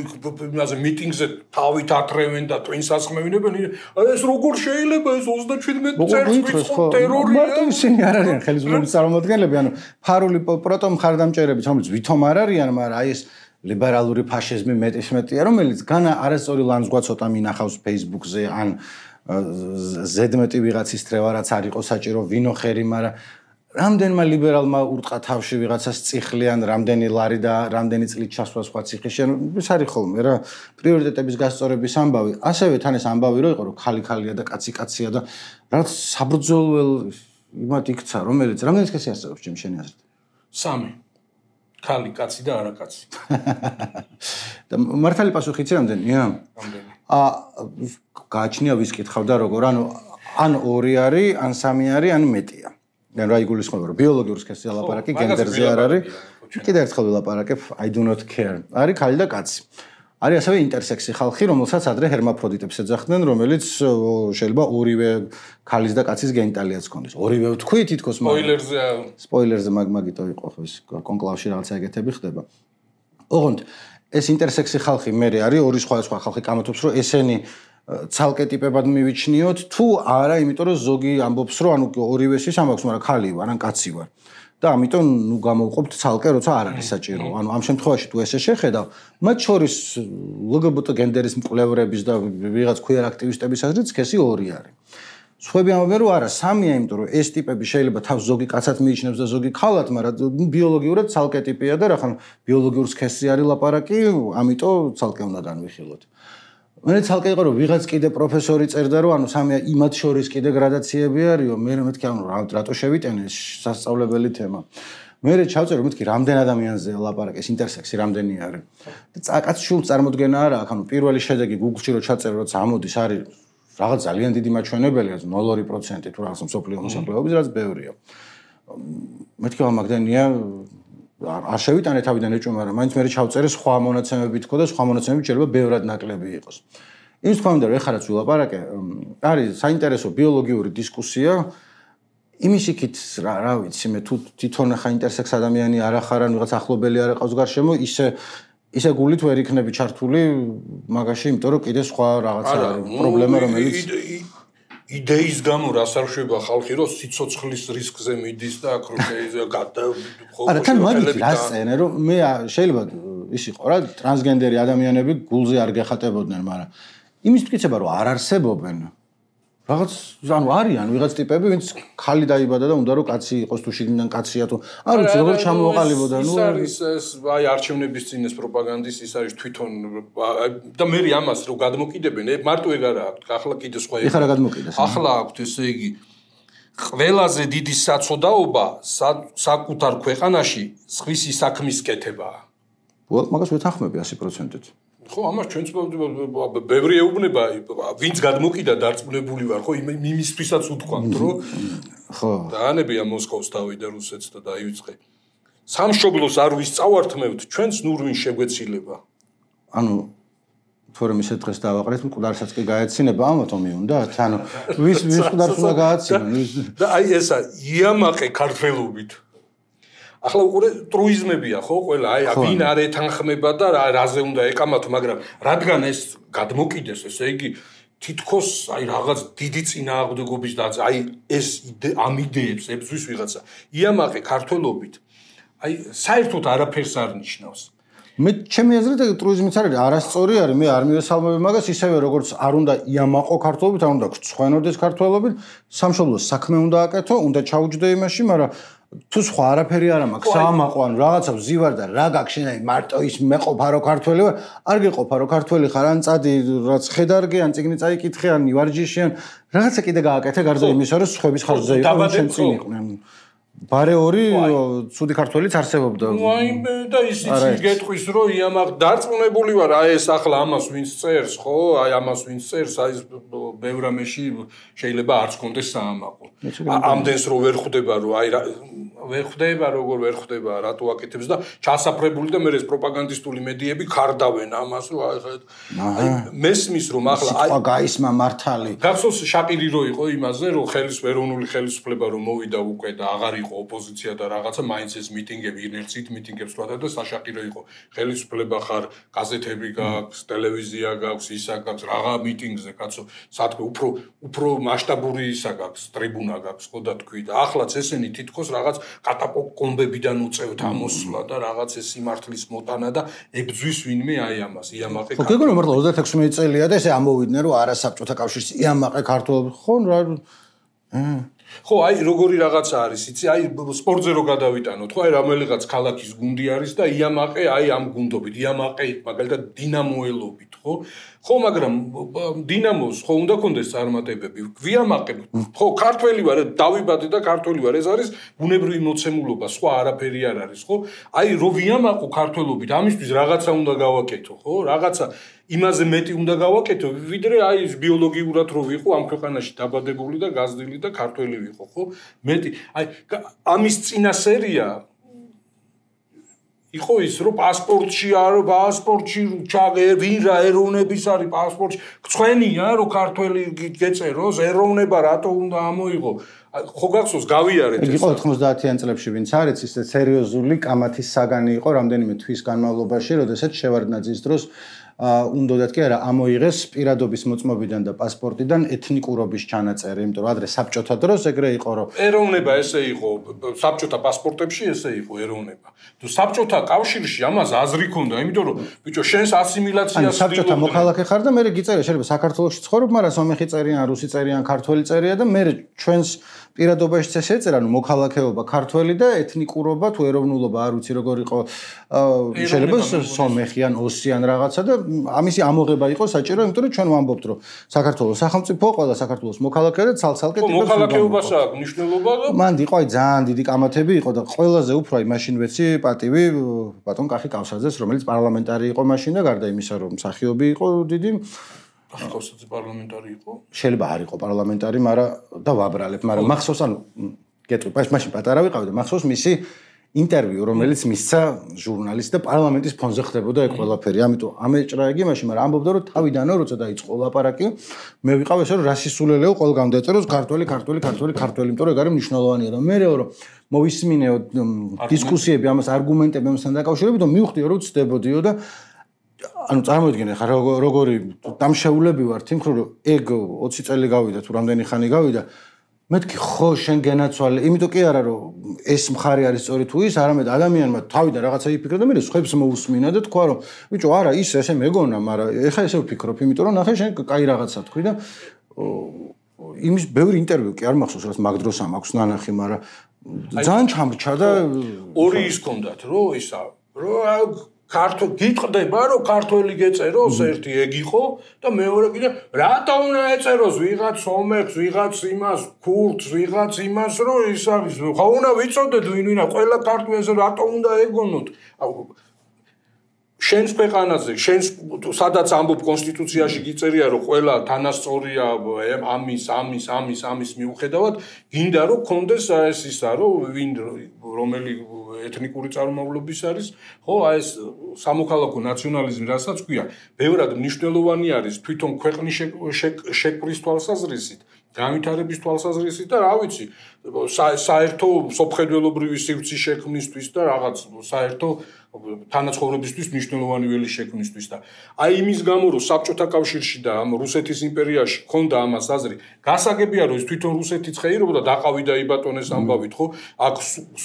იმაზე მიტინგზე თავით აკრევენ და twins ასხმევინებენ ეს როგორ შეიძლება ეს ოცდაჩვიდმეტ წელს ვიწყო ტერორია მარტო ისინი არ არიან ხელისუფლების წარმომადგენლები ანუ ფარული პროტო მხარდამჭერები რომელიც ვითომ არ არიან მაგრამ აი ეს ლიბერალური ფაშიზმი მეტისმეტია რომელიც განა არასწორი ლანძღვა ცოტა მინახავს Facebook-ზე ან ზედმეტი ვიღაცის თრევა რაც არ იყო საჭირო ვინო ხერი მაგრამ რამდენმა ლიბერალმა ურტყა თავში ვიღაცას წიხლიან, რამდენი ლარი და რამდენი წლით ჩასვლა სხვა ციხეში. ეს არის ხოლმე რა პრიორიტეტების გასწორების ამბავი. ასევე თან ეს ამბავი რო იყო რომ ხალი ხალია და კაცი კაცია და რაღაც საბრძოლველ იმათ იქცა, რომელიც რამდენი სქესი არსებობს ჩემ შენი აზრით? სამი. ხალი, კაცი და არაკაცი. და მართალი პასუხი იცი რამდენია? რამდენი? აა გააჩნია ვის კითხავდა როგორ, ანუ ან ორი არის, ან სამი არის, ან მეტია. ან რა იგულისხმება რომ ბიოლოგიურ სქესზე ლაპარაკი გენდერზე არ არის კიდე ერთხელ ვილაპარაკებ I do not care არის ხალი და კაცი არის ასევე ინტერსექსი ხალხი რომელსაც ადრე ჰერმაფროდიტებს ეძახდნენ რომელიც შეიძლება ორივე ქალის და კაცის გენიტალიაც ჰქონდეს ორივე თქვი თითქოს სპოილერზე სპოილერზე მაგმაგიტო იყო ხო ეს კონკლავში რაღაცა ეგეთები ხდება ოღონდ ეს ინტერსექსი ხალხი მე არის ორი სხვა სხვა ხალხი კამათობს რომ ესენი ცალკე ტიპებად მივიჩნიოთ თუ არა იმიტომ რომ ზოგი ამბობს რომ ანუ ორივესის ამბობს მაგრამ ხალი ვარ ან კაცი ვარ და ამიტომ ნუ გამოვყოფთ ცალკე როცა არ არის საჭირო ანუ ამ შემთხვევაში თუ ესე შეხედავ მათ შორის ლგბტ გენდერის მკვლევრების და ვიღაც queer აქტივისტების აზრით სქესი ორი არის სხვები ამბობენ რომ არა სამია იმიტომ რომ ეს ტიპები შეიძლება თავს ზოგი კაცად მიიჩნევს და ზოგი ხალად მაგრამ ბიოლოგიურად ცალკე ტიპია და რახან ბიოლოგიურ სქესზე არის ლაპარაკი ამიტომ ცალკე უნდა განვიხილოთ მე ცალკე იყო რომ ვიღაც კიდე პროფესორი წერდა რომ ანუ სამია იმათ შორის კიდე გრადაციები არისო მე მეთქი ანუ რატო შევიტენე სასწავლებელი თემა მე ჩავწერე მეთქი რამდენ ადამიანზე ლაპარაკი ეს ინტერსექსი რამდენი არის და წაკაც შულს წარმოდგენა არა აქ ანუ პირველი შედეგი Google-ში რო ჩაწერე როცა ამოდის არის რაღაც ძალიან დიდი მაჩვენებელია ნულ ორი პროცენტი თუ რაღაც მსოფლიო მოსახლეობის რაც ბევრია მეთქი მაგდენია არ შევიტანე თავიდან ეჭვმა მაგრამ მაინც მე ჩავწერე სხვა მონაცემები თქო და სხვა მონაცემები შეიძლება ბევრად ნაკლები იყოს. იმის თქმა უნდა რომ ეხლა რაც ვილაპარაკე არის საინტერესო ბიოლოგიური დისკუსია იმის იქით რა რა ვიცი მე თუ თვითონ ხა ინტერსექს ადამიანი არ ახარ ან ვიღაც ახლობელი არ ყავს გარშემო ისე ისე გულით ვერ იქნები ჩართული მაგაში იმიტომ რომ კიდე სხვა რაღაცა არის პრობლემა რომელიც იდეის გამო რას არ შვება ხალხი რომ სიცოცხლის რისკზე მიდის და აქ რომ გადა ხო არა თან მაგით რას წერენ რომ მე შეიძლება ის იყო რა ტრანსგენდერი ადამიანები გულზე არ გეხატებოდნენ მაგრამ იმის მტკიცება რომ არ არსებობენ რაღაც ანუ არიან ვიღაც ტიპები ვინც ხალი დაიბადა და უნდა რომ კაცი იყოს თუ შიგნიდან კაცია თუ არ ვიცი როგორ ჩამოყალიბოდა ნუ ის არის აი არჩევნების წინეს პროპაგანდის ის არის თვითონ და მე ამას რომ გადმოკიდებენ მარტო ეგ არა აქვს ახლა კიდე სხვა ეხლა რა გადმოკიდეს ახლა აქვს ესე იგი ყველაზე დიდი საწოდაობა საკუთარ ქვეყანაში სხვისი საქმის კეთებაა უბრალოდ მაგას ვეთანხმები ასი პროცენტით ხო ამას ჩვენც ბევრი ეუბნება ვინც გადმოკიდა დარწმუნებული ვარ ხო იმისთვისაც უთქვამთ რომ ხო დაანებია მოსკოვს დავიდა რუსეთს და დაივიწყე სამშობლოს არ ვისწავართმევთ ჩვენც ნურვინ შეგვეცილება ანუ თორემ ისე დღეს დავაყრეთ მკვდარსაც კი გაეცინება ამათო მიუნდათ ანუ ვის ვის მკვდარს უნდა გააცინონ და აი ესა იამაყე ქართველობით ახლა უყურე ტრუიზმებია ხო ყველა აი ვინ არ ეთანხმება და რაზე უნდა ეკამათო მაგრამ რადგან ეს გადმოკიდეს ესე იგი თითქოს აი რაღაც დიდი წინააღმდეგობის და აი ეს ამ იდეებს ებზვის ვიღაცა იამაყე ქართველობით აი საერთოდ არაფერს არ ნიშნავს მე ჩემი აზრით ტრუიზმიც არის არასწორი არის მე არ მივესალმები მაგას ისევე როგორც არ უნდა იამაყო ქართველობით არ უნდა გწვენოდეს ქართველობით სამშობლოს საქმე უნდა აკეთო უნდა ჩაუჯდე იმაში მაგრამ თუ სხვა არაფერი არ მაქვს საამაყო ან რაღაცა ვზივარ და რა გაქვს შენ აი მარტო ის მეყოფა რო ქართველი ვარ არ გეყოფა რო ქართველი ხარ ან წადი რაც ხედარგი ან წიგნი წაიკითხე ან ივარჯიში ან რაღაცა კიდე გააკეთე გარდა იმისა რომ სხვების ხარჯზე იყო შენ წინ იყვნენ ბარე ორი ცუდი ქართველიც არსებობდა ნუ აი მე და ისიც გეტყვის რომ იამაყ დარწმუნებული ვარ აი ეს ახლა ამას ვინც წერს ხო აი ამას ვინც წერს აი ბევრ რამეში შეიძლება არც კონდეს საამაყო. ამდენს რო ვერ ხვდება რომ აი ვერ ხვდება როგორ ვერ ხვდება რატო აკეთებს და ჩასაფრებული და მე ეს პროპაგანდისტული მედიები ხარდავენ ამას რომ აი მესმის რომ ახლა აი გაისმა მართალი გახსოვს შაყირი რო იყო იმაზე რომ ხელის ეროვნული ხელისუფლება რომ მოვიდა უკვე და აღარ იყო ოპოზიცია და რაღაცა მაინც ეს მიტინგები ინერცით მიტინგებს ვადა და საშაყირო იყო ხელისუფლება ხარ გაზეთები გაქვს ტელევიზია გაქვს ისა გაქვს რაღა მიტინგზე კაცო სათქო უფრო უფრო მასშტაბური ისა გაქვს ტრიბუნა გაქვს ხო და თქვი და ახლაც ესენი თითქოს რაღაც კატაკომბებიდან უწევთ ამოსვლა და რაღაც ეს სიმართლის მოტანა და ებძვის ვინმე აი ამას იამაყე ხო გეგონა მართლა ოცდაათექვსმეტი წელია და ესე ამოვიდნენ რომ არა საბჭოთა კავშირის იამაყე ქართველები ხო რა ხო აი როგორი რაღაცა არის იცი აი სპორტზე რო გადავიტანოთ ხო აი რომელიღაც ქალაქის გუნდი არის და იამაყე აი ამ გუნდობით იამაყე მაგალითად დინამოელობით ხო ხო მაგრამ დინამოს ხო უნდა კონდეს წარმატებები გვიამაყებ ხო ქართველი ვარ დავიბადე და ქართველი ვარ ეს არის ბუნებრივი მოცემულობა სხვა არაფერი არ არის ხო აი რო ვიამაყო ქართველობით ამისთვის რაღაცა უნდა გავაკეთო ხო რაღაცა იმაზე მეტი უნდა გავაკეთო ვიდრე აი ბიოლოგიურად რო ვიყო ამ ქვეყანაში დაბადებული და გაზრდილი და ქართველი ვიყო ხო მეტი აი ამის წინა სერია იყო ის რომ პასპორტში არ პასპორტში ჩაგე ვინ რა ეროვნების არის პასპორტში ცხენია რომ ქართველი გეწეროს ეროვნება რატო უნდა ამოიღო ხო გახსოვს გავიარეთ ეს იყო ოცდაათიან წლებში ვინც არის ის სერიოზული კამათის საგანი იყო რამდენიმე თვის განმავლობაში როდესაც შევარდნაძის დროს უნდათ კი არა ამოიღეს პირადობის მოწმობიდან და პასპორტიდან ეთნიკურობის ჩანაწერი, იმიტომ რომ ადრე საბჭოთა დროს ეგრე იყო რომ ეროვნება ესე იყო, საბჭოთა პასპორტებში ესე იყო ეროვნება. თუ საბჭოთა კავშირში ამას აზრი ქონდა, იმიტომ რომ ბიჭო შენს ასიმილაციას საბჭოთა მოქალაქე ხარ და მე გიწერე შეიძლება საქართველოში ცხოვრობ, მაგრამ სომეხი წერიან, რუსი წერიან, ქართველი წერია და მე ჩვენს პირადობაშიც ესე ეწერა, ნუ მოქალაქეობა ქართველი და ეთნიკურობა თუ ეროვნულობა არ ვიცი როგორ იყო შეიძლება სომეხი ან ოსი ან რაღაცა და ამისი ამოღება იყო საჭირო, იმიტომ რომ ჩვენ ვამბობთ, რომ საქართველოს სახელმწიფო ყველა საქართველოს მოქალაქე და ცალ-ცალკე ტიპებს მოქალაქეობას აქვს მნიშვნელობა და მან იყო აი ძალიან დიდი კამათები იყო და ყველაზე უფრო აი მაშინ ვეცი პატივი ბატონ კახი კავსაძეს, რომელიც პარლამენტარი იყო მაშინ და გარდა იმისა, რომ მსახიობი იყო დიდი კავსაძე პარლამენტარი იყო? შეიძლება არ იყო პარლამენტარი, მაგრამ და ვაბრალებ, მაგრამ მახსოვს ანუ გეტყვი, მაშინ პატარა ვიყავი და მახსოვს მისი ინტერვიუ, რომელიც მისცა ჟურნალისტ და პარლამენტის ფონზე ხდებოდა ეგ ყველაფერი. ამიტომ ამეჭრა იგი მაშინ, მაგრამ ამბობდა რომ თავიდანო როცა დაიწყო ლაპარაკი, მე ვიყავ ესე რომ რასისულელეო ყველგან დაწეროს ქართველი, ქართველი, ქართველი, ქართველი, იმიტომ რომ ეგ არის მნიშვნელოვანია და მე რომ მოვისმინეო დისკუსიები ამას არგუმენტები ამასთან დაკავშირებით, მივხვდიო რომ ცდებოდიო და ანუ წარმოიდგინე ხარ როგორი დამშეულები ვართ იმ ხრო რომ ეგ ოცი წელი გავიდა თუ რამდენი ხანი გავიდა მეთქი ხო შენ გენაცვალე იმიტომ კი არა რომ ეს მხარე არის სწორი თუ ის არამედ ადამიანმა თავიდან რაღაცა იფიქრა და მე სხვებს მოусმინა და თქვა რომ ბიჭო არა ის ესე მეგონა მაგრამ ეხა ესე ვფიქრობ იმიტომ რომ ნახე შენ კაი რაღაცა თქვი და იმის ბევრი ინტერვიუ კი არ მახსოვს რაც მაგ დროს ამაქვს ნანახი მაგრამ ძალიან ჩამრჩა და ორი ის კონდათ რომ ისა რომ ქართო გიტყდება რომ ქართველი გეწეროს ერთი ეგ იყო და მეორე კიდე რატო უნდა ეწეროს ვიღაც სომეხს ვიღაც იმას ქურთს ვიღაც იმას რომ ის არის ხო უნდა ვიცოდეთ ვინ ვინა ყველა ქართველს რატო უნდა ეგონოთ შენს ქვეყანაზე შენს სადაც ამბობ კონსტიტუციაში გიწერია რომ ყველა თანასწორია ამის ამის ამის ამის მიუხედავად გინდა რომ კონდეს ეს ისა რომ ვინ რომელი ეთნიკური წარმომავლობის არის ხო აი ეს სამოქალაქო ნაციონალიზმი რასაც ქვია ბევრად მნიშვნელოვანი არის თვითონ ქვეყნის შეკვრის თვალსაზრისით განვითარების თვალსაზრისით და რა ვიცი საერთო სოფხედველობრივი სივრცის შექმნისთვის და რაღაც საერთო თანაცხოვრებისთვის მნიშვნელოვანი ველი შექმნისთვის და აი იმის გამო რომ საბჭოთა კავშირში და ამ რუსეთის იმპერიაში ქონდა ამას აზრი გასაგებია რომ ის თვითონ რუსეთიც ხეირობდა დაყავიდა იბატონეს ამბავით ხო აქ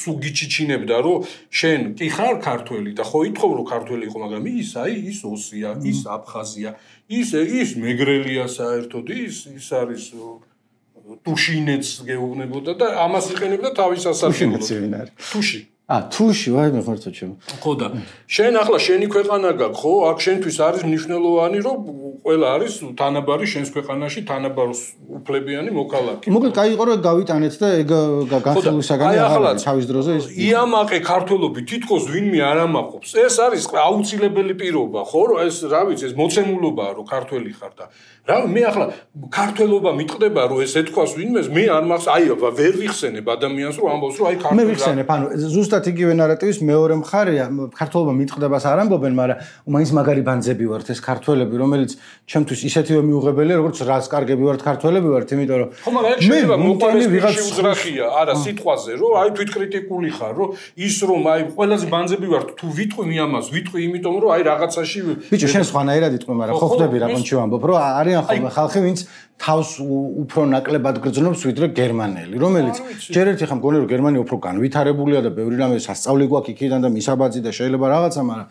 სუგიჩიჩინებდა რომ შენ კი ხარ ქართველი და ხო ითხოვ რომ ქართველი იყო მაგრამ ის აი ის ოსია ის აფხაზია ის ის მეგრელია საერთოდ ის ის არის თუშინეც გეუბნებოდა და ამას იყენებდა თავის ასარგებლოდ თუში ა თუში ვაი მე ხარ თუჩემ ხო და შენ ახლა შენი ქვეყანა გაქვს ხო აქ შენთვის არის მნიშვნელოვანი რომ ყველა არის თანაბარი შენს ქვეყანაში თანაბარ უფლებიანი მოქალაქე. მოკლედ კაი იყო რომ გავიტანეთ და ეგ განხილვისაგანი აღარ თავის დროზე ის იამაყე ქართველობი თითქოს ვინმე არ ამაყობს. ეს არის აუცილებელი პირობა, ხო, რომ ეს რა ვიცი, ეს მოცემულობაა რომ ქართველი ხარ და რა მე ახლა ქართველობა მიტყდება რომ ეს ეთქვას ვინმეს მე არ მახს აი ვერ ვიხსენებ ადამიანს რომ ამბობს რომ აი ქართველი მე ვიხსენებ ანუ ზუსტად იგივე ნარატივის მეორე მხარეა ქართველობა მიტყდებას არ ამბობენ მაგრამ მაინც მაგარი ბანძები ვართ ეს ქართველები რომელიც ჩემთვის ისეთივე მიუღებელია როგორც რაც კარგები ვართ ქართველები ვართ იმიტომ რომ ხო მაგრამ ეს შეიძლება მოყოლეს ვიღაც უძრახია არა სიტყვაზე რომ აი თვითკრიტიკული ხარ რომ ის რომ აი ყველაზე ბანძები ვართ თუ ვიტყვი მე ამას ვიტყვი იმიტომ რომ აი რაღაცაში ბიჭო შენ სხვანაირად იტყვი მაგრამ ხო ხვდები რა კონჩი ვამბობ რომ არიან ხოლმე ხალხი ვინც თავს უფრო ნაკლებად გრძნობს ვიდრე გერმანელი რომელიც ჯერ ერთი ხომ გონი რომ გერმანია უფრო განვითარებულია და ბევრი რამე სასწავლი გვაქვს იქიდან და მისაბაძი და შეიძლება რაღაცა მაგრამ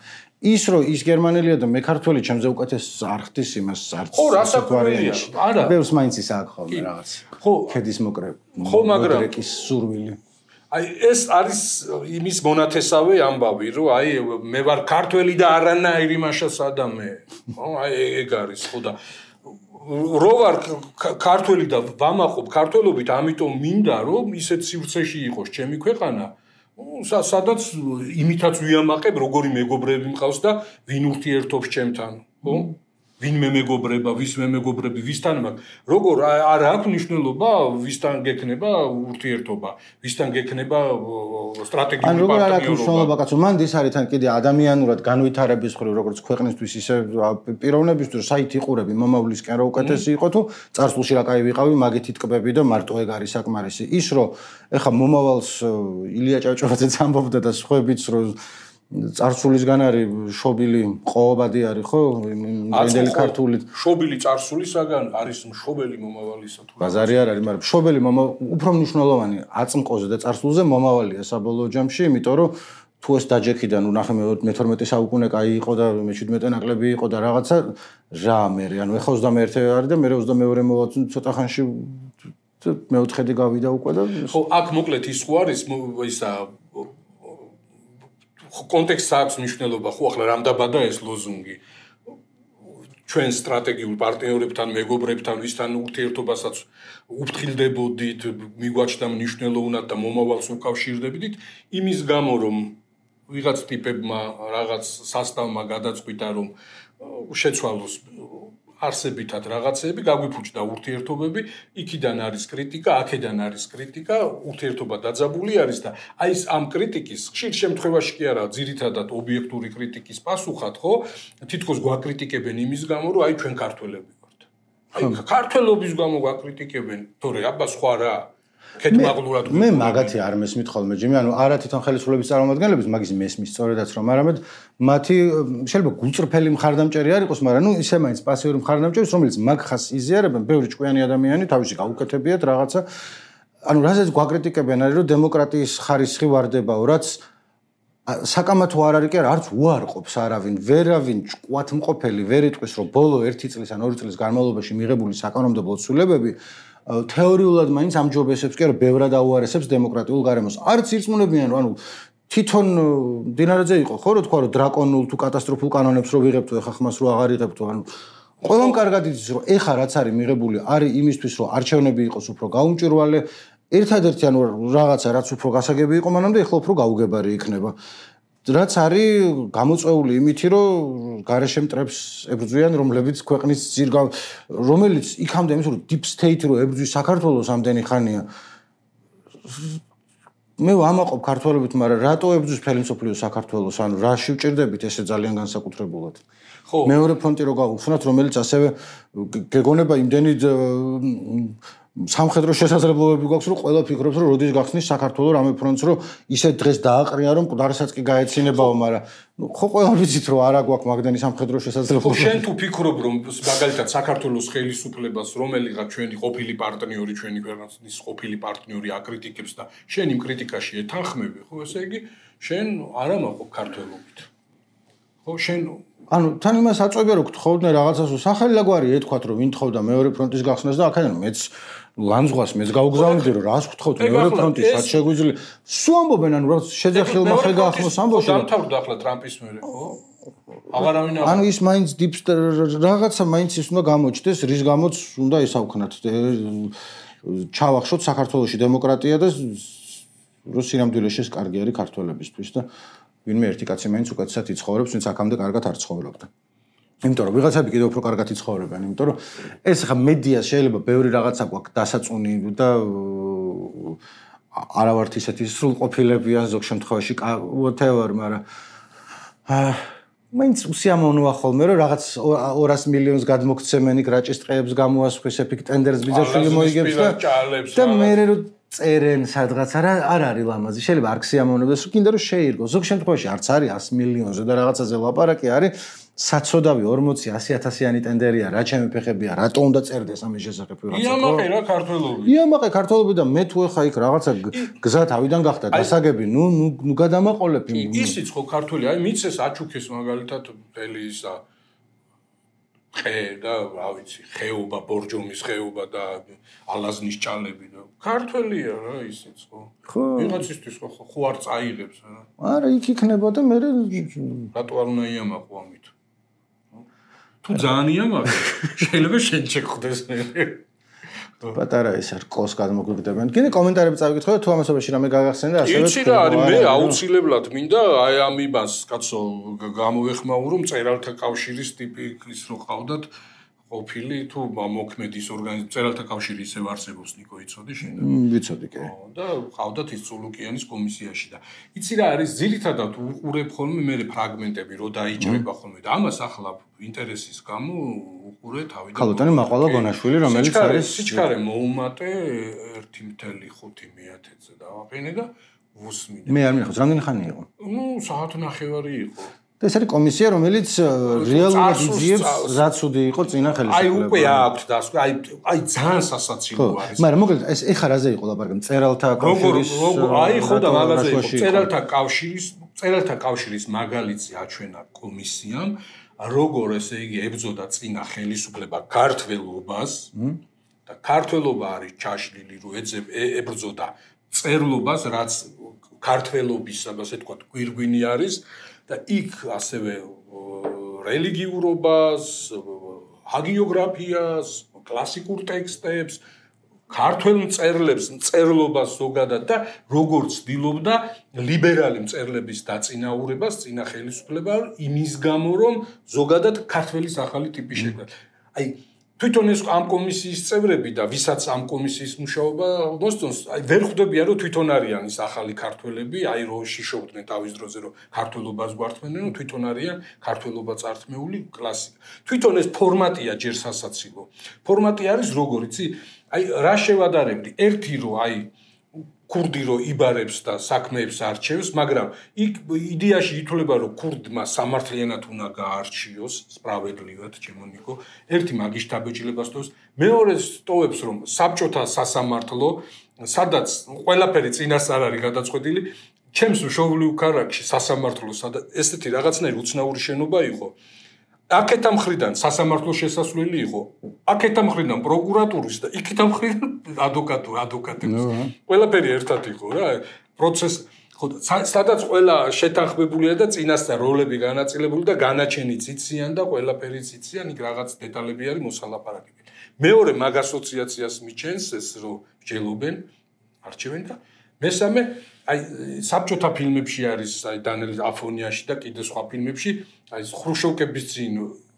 ის რომ ის გერმანელია და მე ქართველი ჩემზე უკეთეს არ ხდის იმას არც ხო რა საქმეა არა ბევრს მაინც ის აქვს ხოლმე რაღაც ხო ქედის მოკრე ხო მაგრამ რეკის სურვილი აი ეს არის იმის მონათესავე ამბავი რომ აი მე ვარ ქართველი და არანაირი მაშა სადამე ხო აი ეგ არის ხო და რო ვარ ქართველი და ვამაყობ ქართველობით ამიტომ მინდა რომ ისეთ სივრცეში იყოს ჩემი ქვეყანა სადაც იმითაც ვიამაყებ როგორი მეგობრები მყავს და ვინ ურთიერთობს ჩემთან ხო ვინმე მეგობრება ვისმე მეგობრები ვისთან მაგ როგორ არ აქვს მნიშვნელობა ვისთან გექნება ურთიერთობა ვისთან გექნება სტრატეგიული პარტნიორობა ან როგორ არ აქვს მნიშვნელობა კაცო მან ის არის თან კიდე ადამიანურად განვითარების მხრივ როგორც ქვეყნისთვის ისე პიროვნებისთვის საით იყურები მომავლისკენ რა უკეთესი იყო თუ წარსულში რა კაი ვიყავი მაგით იტკბები და მარტო ეგ არის საკმარისი ის რომ ეხა მომავალს ილია ჭავჭავაძეც ამბობდა და სხვაებიც რომ წარსულისგან არის შობილი ყოობადი არის ხო იმდენი ქართული შობილი წარსულისაგან არის მშობელი მომავალისა თუ ბაზარი არ არის მაგრამ შობელი უფრო მნიშვნელოვანი აწმყოზე და წარსულზე მომავალია საბოლოო ჯამში იმიტომ რომ თუ ეს დაჯექიდან ნახე მეთორმეტე საუკუნე კაი იყო და მეჩვიდმეტე ნაკლები იყო და რაღაცა რა მე ანუ ეხა ოცდამეერთე არის და მე ოცდამეორე მოვა ცოტა ხანში მეოთხედი გავიდა უკვე და ხო აქ მოკლედ ის ხო არის ისა კონტექსტს აქვს მნიშვნელობა ხო ახლა რამდაბადა ეს ლოზუნგი ჩვენ სტრატეგიულ პარტნიორებთან მეგობრებთან ვისთან ურთიერთობასაც უფრთხილდებოდით მიგვაჩნდა მნიშვნელოვნად და მომავალს უკავშირდებდით იმის გამო რომ ვიღაც ტიპებმა რაღაც სასტავმა გადაწყვიტა რომ შეცვალოს არსებითად რაღაცები გაგვიფუჭდა ურთიერთობები იქიდან არის კრიტიკა აქედან არის კრიტიკა ურთიერთობა დაძაბული არის და აი ეს ამ კრიტიკის ხშირ შემთხვევაში კი არა ძირითადად ობიექტური კრიტიკის პასუხად ხო თითქოს გვაკრიტიკებენ იმის გამო რომ აი ჩვენ ქართველები ვართ აი ქართველობის გამო გვაკრიტიკებენ თორე აბა სხვა რა კეთმაღლურად მე მაგათი არ მესმით ხოლმე ჯიმი ანუ არა თვითონ ხელისუფლების წარმომადგენლების მაგის მესმის სწორედაც რომ არამედ მათი შეიძლება გულწრფელი მხარდამჭერი არ იყოს მაგრამ ნუ ისე მაინც პასიური მხარდამჭერი რომელიც მაგ ხას იზიარებენ ბევრი ჭკვიანი ადამიანი თავისი გაუკეთებიათ რაღაცა ანუ რასაც გვაკრიტიკებენ არის რომ დემოკრატიის ხარისხი ვარდებაო რაც საკამათო არ არის კი არა არც უარყოფს არავინ ვერავინ ჭკვათმყოფელი ვერ იტყვის რომ ბოლო ერთი წლის ან ორი წლის განმავლობაში მიღებული საკანონმდებლო ცვლილებები თეორიულად მაინც ამჯობესებს კი არა ბევრად აუარესებს დემოკრატიულ გარემოს არც ირწმუნებიან რომ ანუ თვითონ დინარაძე იყო ხო რომ თქვა რომ დრაკონულ თუ კატასტროფულ კანონებს რო ვიღებთო ეხა ხმას რო აღარ იღებთო ანუ ყველამ კარგად იცის რომ ეხა რაც არის მიღებული არის იმისთვის რომ არჩევნები იყოს უფრო გაუმჭირვალე ერთადერთი ანუ რაღაცა რაც უფრო გასაგები იყო მანამდე ეხლა უფრო გაუგებარი იქნება რაც არის გამოწვეული იმითი რომ გარეშე მტრებს ებრძვიან რომლებიც ქვეყნის ძირგა რომელიც იქამდე იმის რომ deep state რო ებრძვის საქართველოს ამდენი ხანია მე ვამაყობ ქართველობით მაგრამ რატო ებრძვის მთელი მსოფლიო საქართველოს ანუ რა შევჭირდებით ესე ძალიან განსაკუთრებულად ხო მეორე ფრონტი რო გავხსნათ რომელიც ასევე გეგონება იმდენი სამხედრო შესაძლებლობები გვაქვს რომ ყველა ფიქრობს რომ როდის გახსნის საქართველოს რამე ფრონტს რომ ისე დღეს დააყრია რომ მკვდარსაც კი გაეცინებაო მაგრამ ხო ყველა ვიცით რომ არა გვაქვს მაგდენი სამხედრო შესაძლებლობები შენ თუ ფიქრობ რომ მაგალითად საქართველოს ხელისუფლებას რომელიღაც ჩვენი ყოფილი პარტნიორი ჩვენი ქვეყნის ყოფილი პარტნიორი აკრიტიკებს და შენ იმ კრიტიკაში ეთანხმები ხო ესე იგი შენ არ ამაყობ ქართველობით ხო შენ ანუ თან იმას აწვევია რომ გთხოვდნენ რაღაცას სახელი ლაგვარი ეთქვათ რომ ვინ თხოვდა მეორე ფრონტის გახსნას და აქედან მეც ლანძღვას მეც გავგზავნიდი რომ რას გთხოვთ მეორე ფრონტის რაც შეგვიძლია სულ ამბობენ ანუ რა შეძახილმა ხე გაახსნოს ამბოში დამთავრდა ახლა ტრამპის მერე ხო აღარავინ ანუ ის მაინც დიპს რაღაცა მაინც ის უნდა გამოჩნდეს, რის გამოც უნდა ისავქნათ. ჩავახშოთ საქართველოში დემოკრატია და რუსირამდვილეში ეს კარგი არის ქართველებისთვის და ვინმე ერთი კაცი მაინც უკეთესად იცხოვრებს, ვინც აქამდე კარგად არ ცხოვრობდა. იმიტომ რომ ვიღაცები კიდევ უფრო კარგად იცხოვრებენ, იმიტომ რომ ეს ხა მედია შეიძლება ბევრი რაღაცა გვაქვს დასაწუნი და არა ვართ ისეთი სრულყოფილებია ზოგ შემთხვევაში whatever, მაგრამ აა მაინც უსიამოვნოა ხოლმე რომ რაღაც ორას მილიონს გადმოგცემენ იქ რაჭის ტყეებს გამოასხვის ეფიქ ტენდერს ბიძაშვილი მოიგებს და მე რომ წერენ სადღაც არა არ არის ლამაზი შეიძლება არ გსიამოვნებდეს რომ კიდე რომ შეირგო ზოგ შემთხვევაში არც არის ას მილიონზე და რაღაცაზე ლაპარაკი არის საცოდავი ორმოცი ასი ათასიანი ტენდერია რა ჩემი ფეხებია რატო უნდა წერდეს ამის შესახებ რაღაცა იამაყე რა ქართველობი იამაყე ქართველობი და მე თუ ეხა იქ რაღაცა გზა თავიდან გახდა დასაგები ნუ ნუ გადამაყოლებ ისიც ხო ქართველი აი მიცეს აჩუქეს მაგალითად მთელი ისა ხე და რა ვიცი ხეობა ბორჯომის ხეობა და ალაზნის ჭალები და ქართველია რა ისიც ხო ვიღაცისთვის ხო ხო არ წაიღებს რა არა იქ იქნება და მე რატო არ უნდა იამაყო ამით თუ ძალიან იამაყე შეიძლება შენ შეხვდეს პატარა ეს არ ყოს გადმოგვიგდებენ. კიდე კომენტარები წავიკითხო თუ ამასობაში რამე გაგახსენდა ასევე იცი რა არის მე აუცილებლად მინდა აი ამ იმას კაცო გამოვეხმაურო მწერალთა კავშირის ტიპი ის რო ყავდათ ყოფილი თუ მოქმედის ორგანიზაცია მწერალთა კავშირი ისევ არსებობს ნიკო იცოდი შენ ვიცოდი კი და ყავდათ ის წულუკიანის კომისიაში და იცი რა არის ძირითადად უყურებ ხოლმე მე ფრაგმენტები რო დაიჭრება ხოლმე და ამას ახლა ინტერესის გამო უყურე თავიდან ქალბატონი მაყვალა გონაშვილი რომელიც არის სიჩქარე მოუმატე ერთი მთელი ხუთი მეათეზე დავაყენე და ვუსმინე მე არ მინახავს რამდენი ხანი იყო ნუ საათ ნახევარი იყო და ეს არის კომისია რომელიც რეალურად იძიებს რაც უდე იყო წინა ხელისუფლება აი უკვე აქვს დასკვა აი აი ძალიან სასაცილო არის მაგრამ მოკლედ ეს ეხა რაზე იყო ლაპარაკი მწერალთა კავშირის აი ხო და მაგაზე იყო მწერალთა კავშირის მწერალთა კავშირის მაგალითი აჩვენა კომისიამ როგორ ესე იგი ებრძოდა წინა ხელისუფლება ქართველობას და ქართველობა არის ჩაშლილი რო ებრძოდა წერლობას რაც ქართველობის ასე თქვა გვირგვინი არის და იქ ასევე რელიგიურობას, ჰაგიოგრაფიას, კლასიკურ ტექსტებს, ქართველ მწერლებს, მწერლობას ზოგადად და როგორც ცდილობდა ლიბერალი მწერლების დაწინაურებას წინა ხელისუფლება იმის გამო რომ ზოგადად ქართველის ახალი ტიპი შექმნა. აი თვითონ ეს ამ კომისიის წევრები და ვისაც ამ კომისიის მუშაობა მოსწონს, აი ვერ ხვდებიან რომ თვითონ არიან ის ახალი ქართველები, აი რო შიშობდნენ თავის დროზე რომ ქართველობას გვართმენენ, რომ თვითონ არიან ქართველობა წართმეული კლასიკა. თვითონ ეს ფორმატია ჯერ სასაცილო. ფორმატი არის როგორ იცი? აი რა შევადარებდი? ერთი რო აი ქურდი რო იბარებს და საქმეებს არჩევს, მაგრამ იქ იდეაში ითვლება რომ ქურდმა სამართლიანად უნდა გაარჩიოს, სპრავედლივად, ჩემო ნიკო. ერთი მაგის დაბეჭდილებას თოს, მეორე სტოვებს რომ საბჭოთა სასამართლო, სადაც ყველაფერი წინასწარ არის გადაწყვეტილი, ჩემს მშობლიურ ქალაქში სასამართლო, სადაც ესეთი რაღაცნაირი უცნაური შენობა იყო. აქეთა მხრიდან სასამართლოს შესასვლელი იყო. აქეთა მხრიდან პროკურატურის და იქეთა მხრიდან ადვოკატურა, ადვოკატების. ყველაფერი ერთად იყო რა. პროცესი ხო სადაც ყველა შეთანხმებულია და წინასწარ როლები განაწილებული და განაჩენიც იციან და ყველაფერიც იციან, იქ რაღაც დეტალები არის მოსალაპარაკებელი. მეორე მაგ ასოციაციას მიჩენს ეს რომ ჯელობენ, არჩევენ და მესამე აი საბჭოთა ფილმებში არის აი დანიელ აფონიაში და კიდე სხვა ფილმებში აი ხრუშოვკების წინ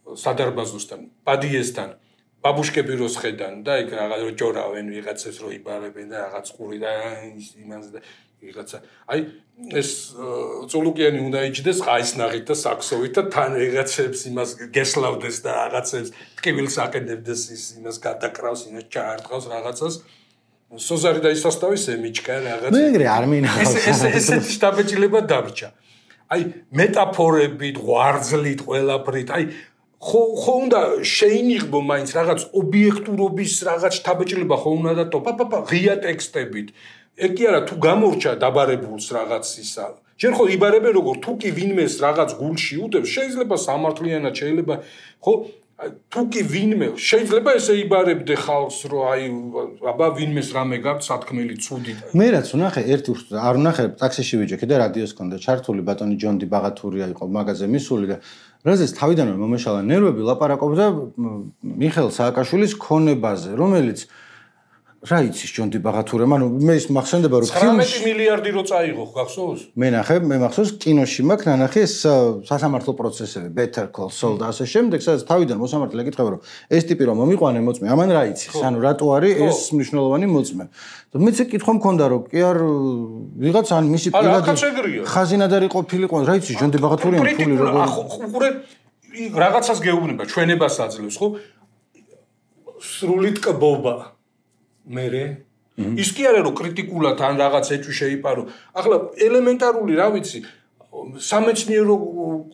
სადარბაზოსთან, პადიესთან, ბაბუშკები როს ხედან და იქ რაღაც ჯორავენ ვიღაცებს რო იბარებენ და რაღაც ყური და იმანზე და ვიღაცა. აი ეს წულუკიანი უნდა იჭდეს ყაისნაღით და საქსოვით და თან ვიღაცებს იმას გესლავდეს და რაღაცებს ტკივილს აყენებდეს ის იმას გადაკრავს, იმას ჩაარტყავს რაღაცას. სოზარი და ისასტავის ემიჩკა რაღაც. მე ეგრე არ მინახავს. ეს ეს ესეთი შტაბეჭილება დაბრჩა. აი მეტაფორებით, ღვარძლით, ყველაფრით, აი ხო ხო უნდა შეინიღბო მაინც რაღაც ობიექტურობის რაღაც შტაბეჭილება ხო უნდა და ტო პაპა ღია ტექსტებით. ეგ კი არა თუ გამორჩა დაბარებულს რაღაც ისა. ჯერ ხო იბარებენ როგორ თუ კი ვინმეს რაღაც გულში უდებს, შეიძლება სამართლიანად, შეიძლება ხო თუ კი ვინმე შეიძლება ესე იბარებდე ხალხს რომ აი აბა ვინმეს რამე გაქვს სათქმელი ცუდი მე რაც ვნახე ერთი არ ვნახე ტაქსიში ვიჯექი და რადიოს ქონდა ჩართული ბატონი ჯონდი ბაღათურია იყო მაგაზე მისული და რაზეც თავიდანვე მომეშალა ნერვები ლაპარაკობდა მიხეილ სააკაშვილის ქონებაზე რომელიც რა იცის ჯონდი ბაღათურე მანუ მე ის მახსენდება რომ ცხრამეტი მილიარდი რო წაიღო გახსოვს მე ნახე მე მახსოვს კინოში მაქვს ნანახი ეს სასამართლო პროცესები Better Call Saul და ასე შემდეგ სადაც თავიდან მოსამართლე ეკითხება რომ ეს ტიპი რომ მომიყვანე მოწმე ამან რა იცის ანუ რატო არის ეს მნიშვნელოვანი მოწმე და მეც კითხვა მქონდა რომ კი არ ვიღაც ან მისი პირადი ხაზინადარი ყოფილიყო რა იცის ჯონდი ბაღათურიან ფული როგორ ხურე რაღაცას გეუბნება ჩვენებას აძლევს ხო სრული ტკბობა მერე ის კი არა რომ კრიტიკულად ან რაღაც ეჭვი შეიპარო ახლა ელემენტარული რა ვიცი სამეცნიერო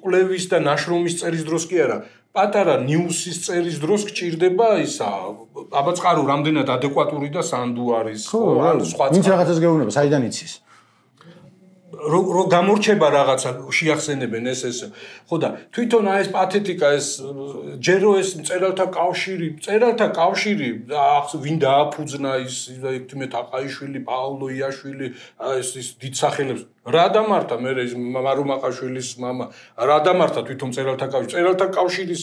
კვლევის და ნაშრომის წერის დროს კი არა პატარა ნიუსის წერის დროს გჭირდება ისა აბა წყარო რამდენად ადეკვატური და სანდუ არის ხო ან სხვა ვინც რაღაცას გეუბნება საიდან იცის რო გამორჩება რაღაცა შეახსენებენ ეს ეს ხო და თვითონ აი ეს პათეტიკა ეს ჯერო ეს მწერალთა კავშირი მწერალთა კავშირი ვინ დააფუძნა ის ექთიმე თაყაიშვილი პაოლო იაშვილი ეს ის დიდსახელებს რა დამართა მე ეს მარუ მაყაშვილის мама რა დამართა თვითონ მწერალთა კავშირი მწერალთა კავშირის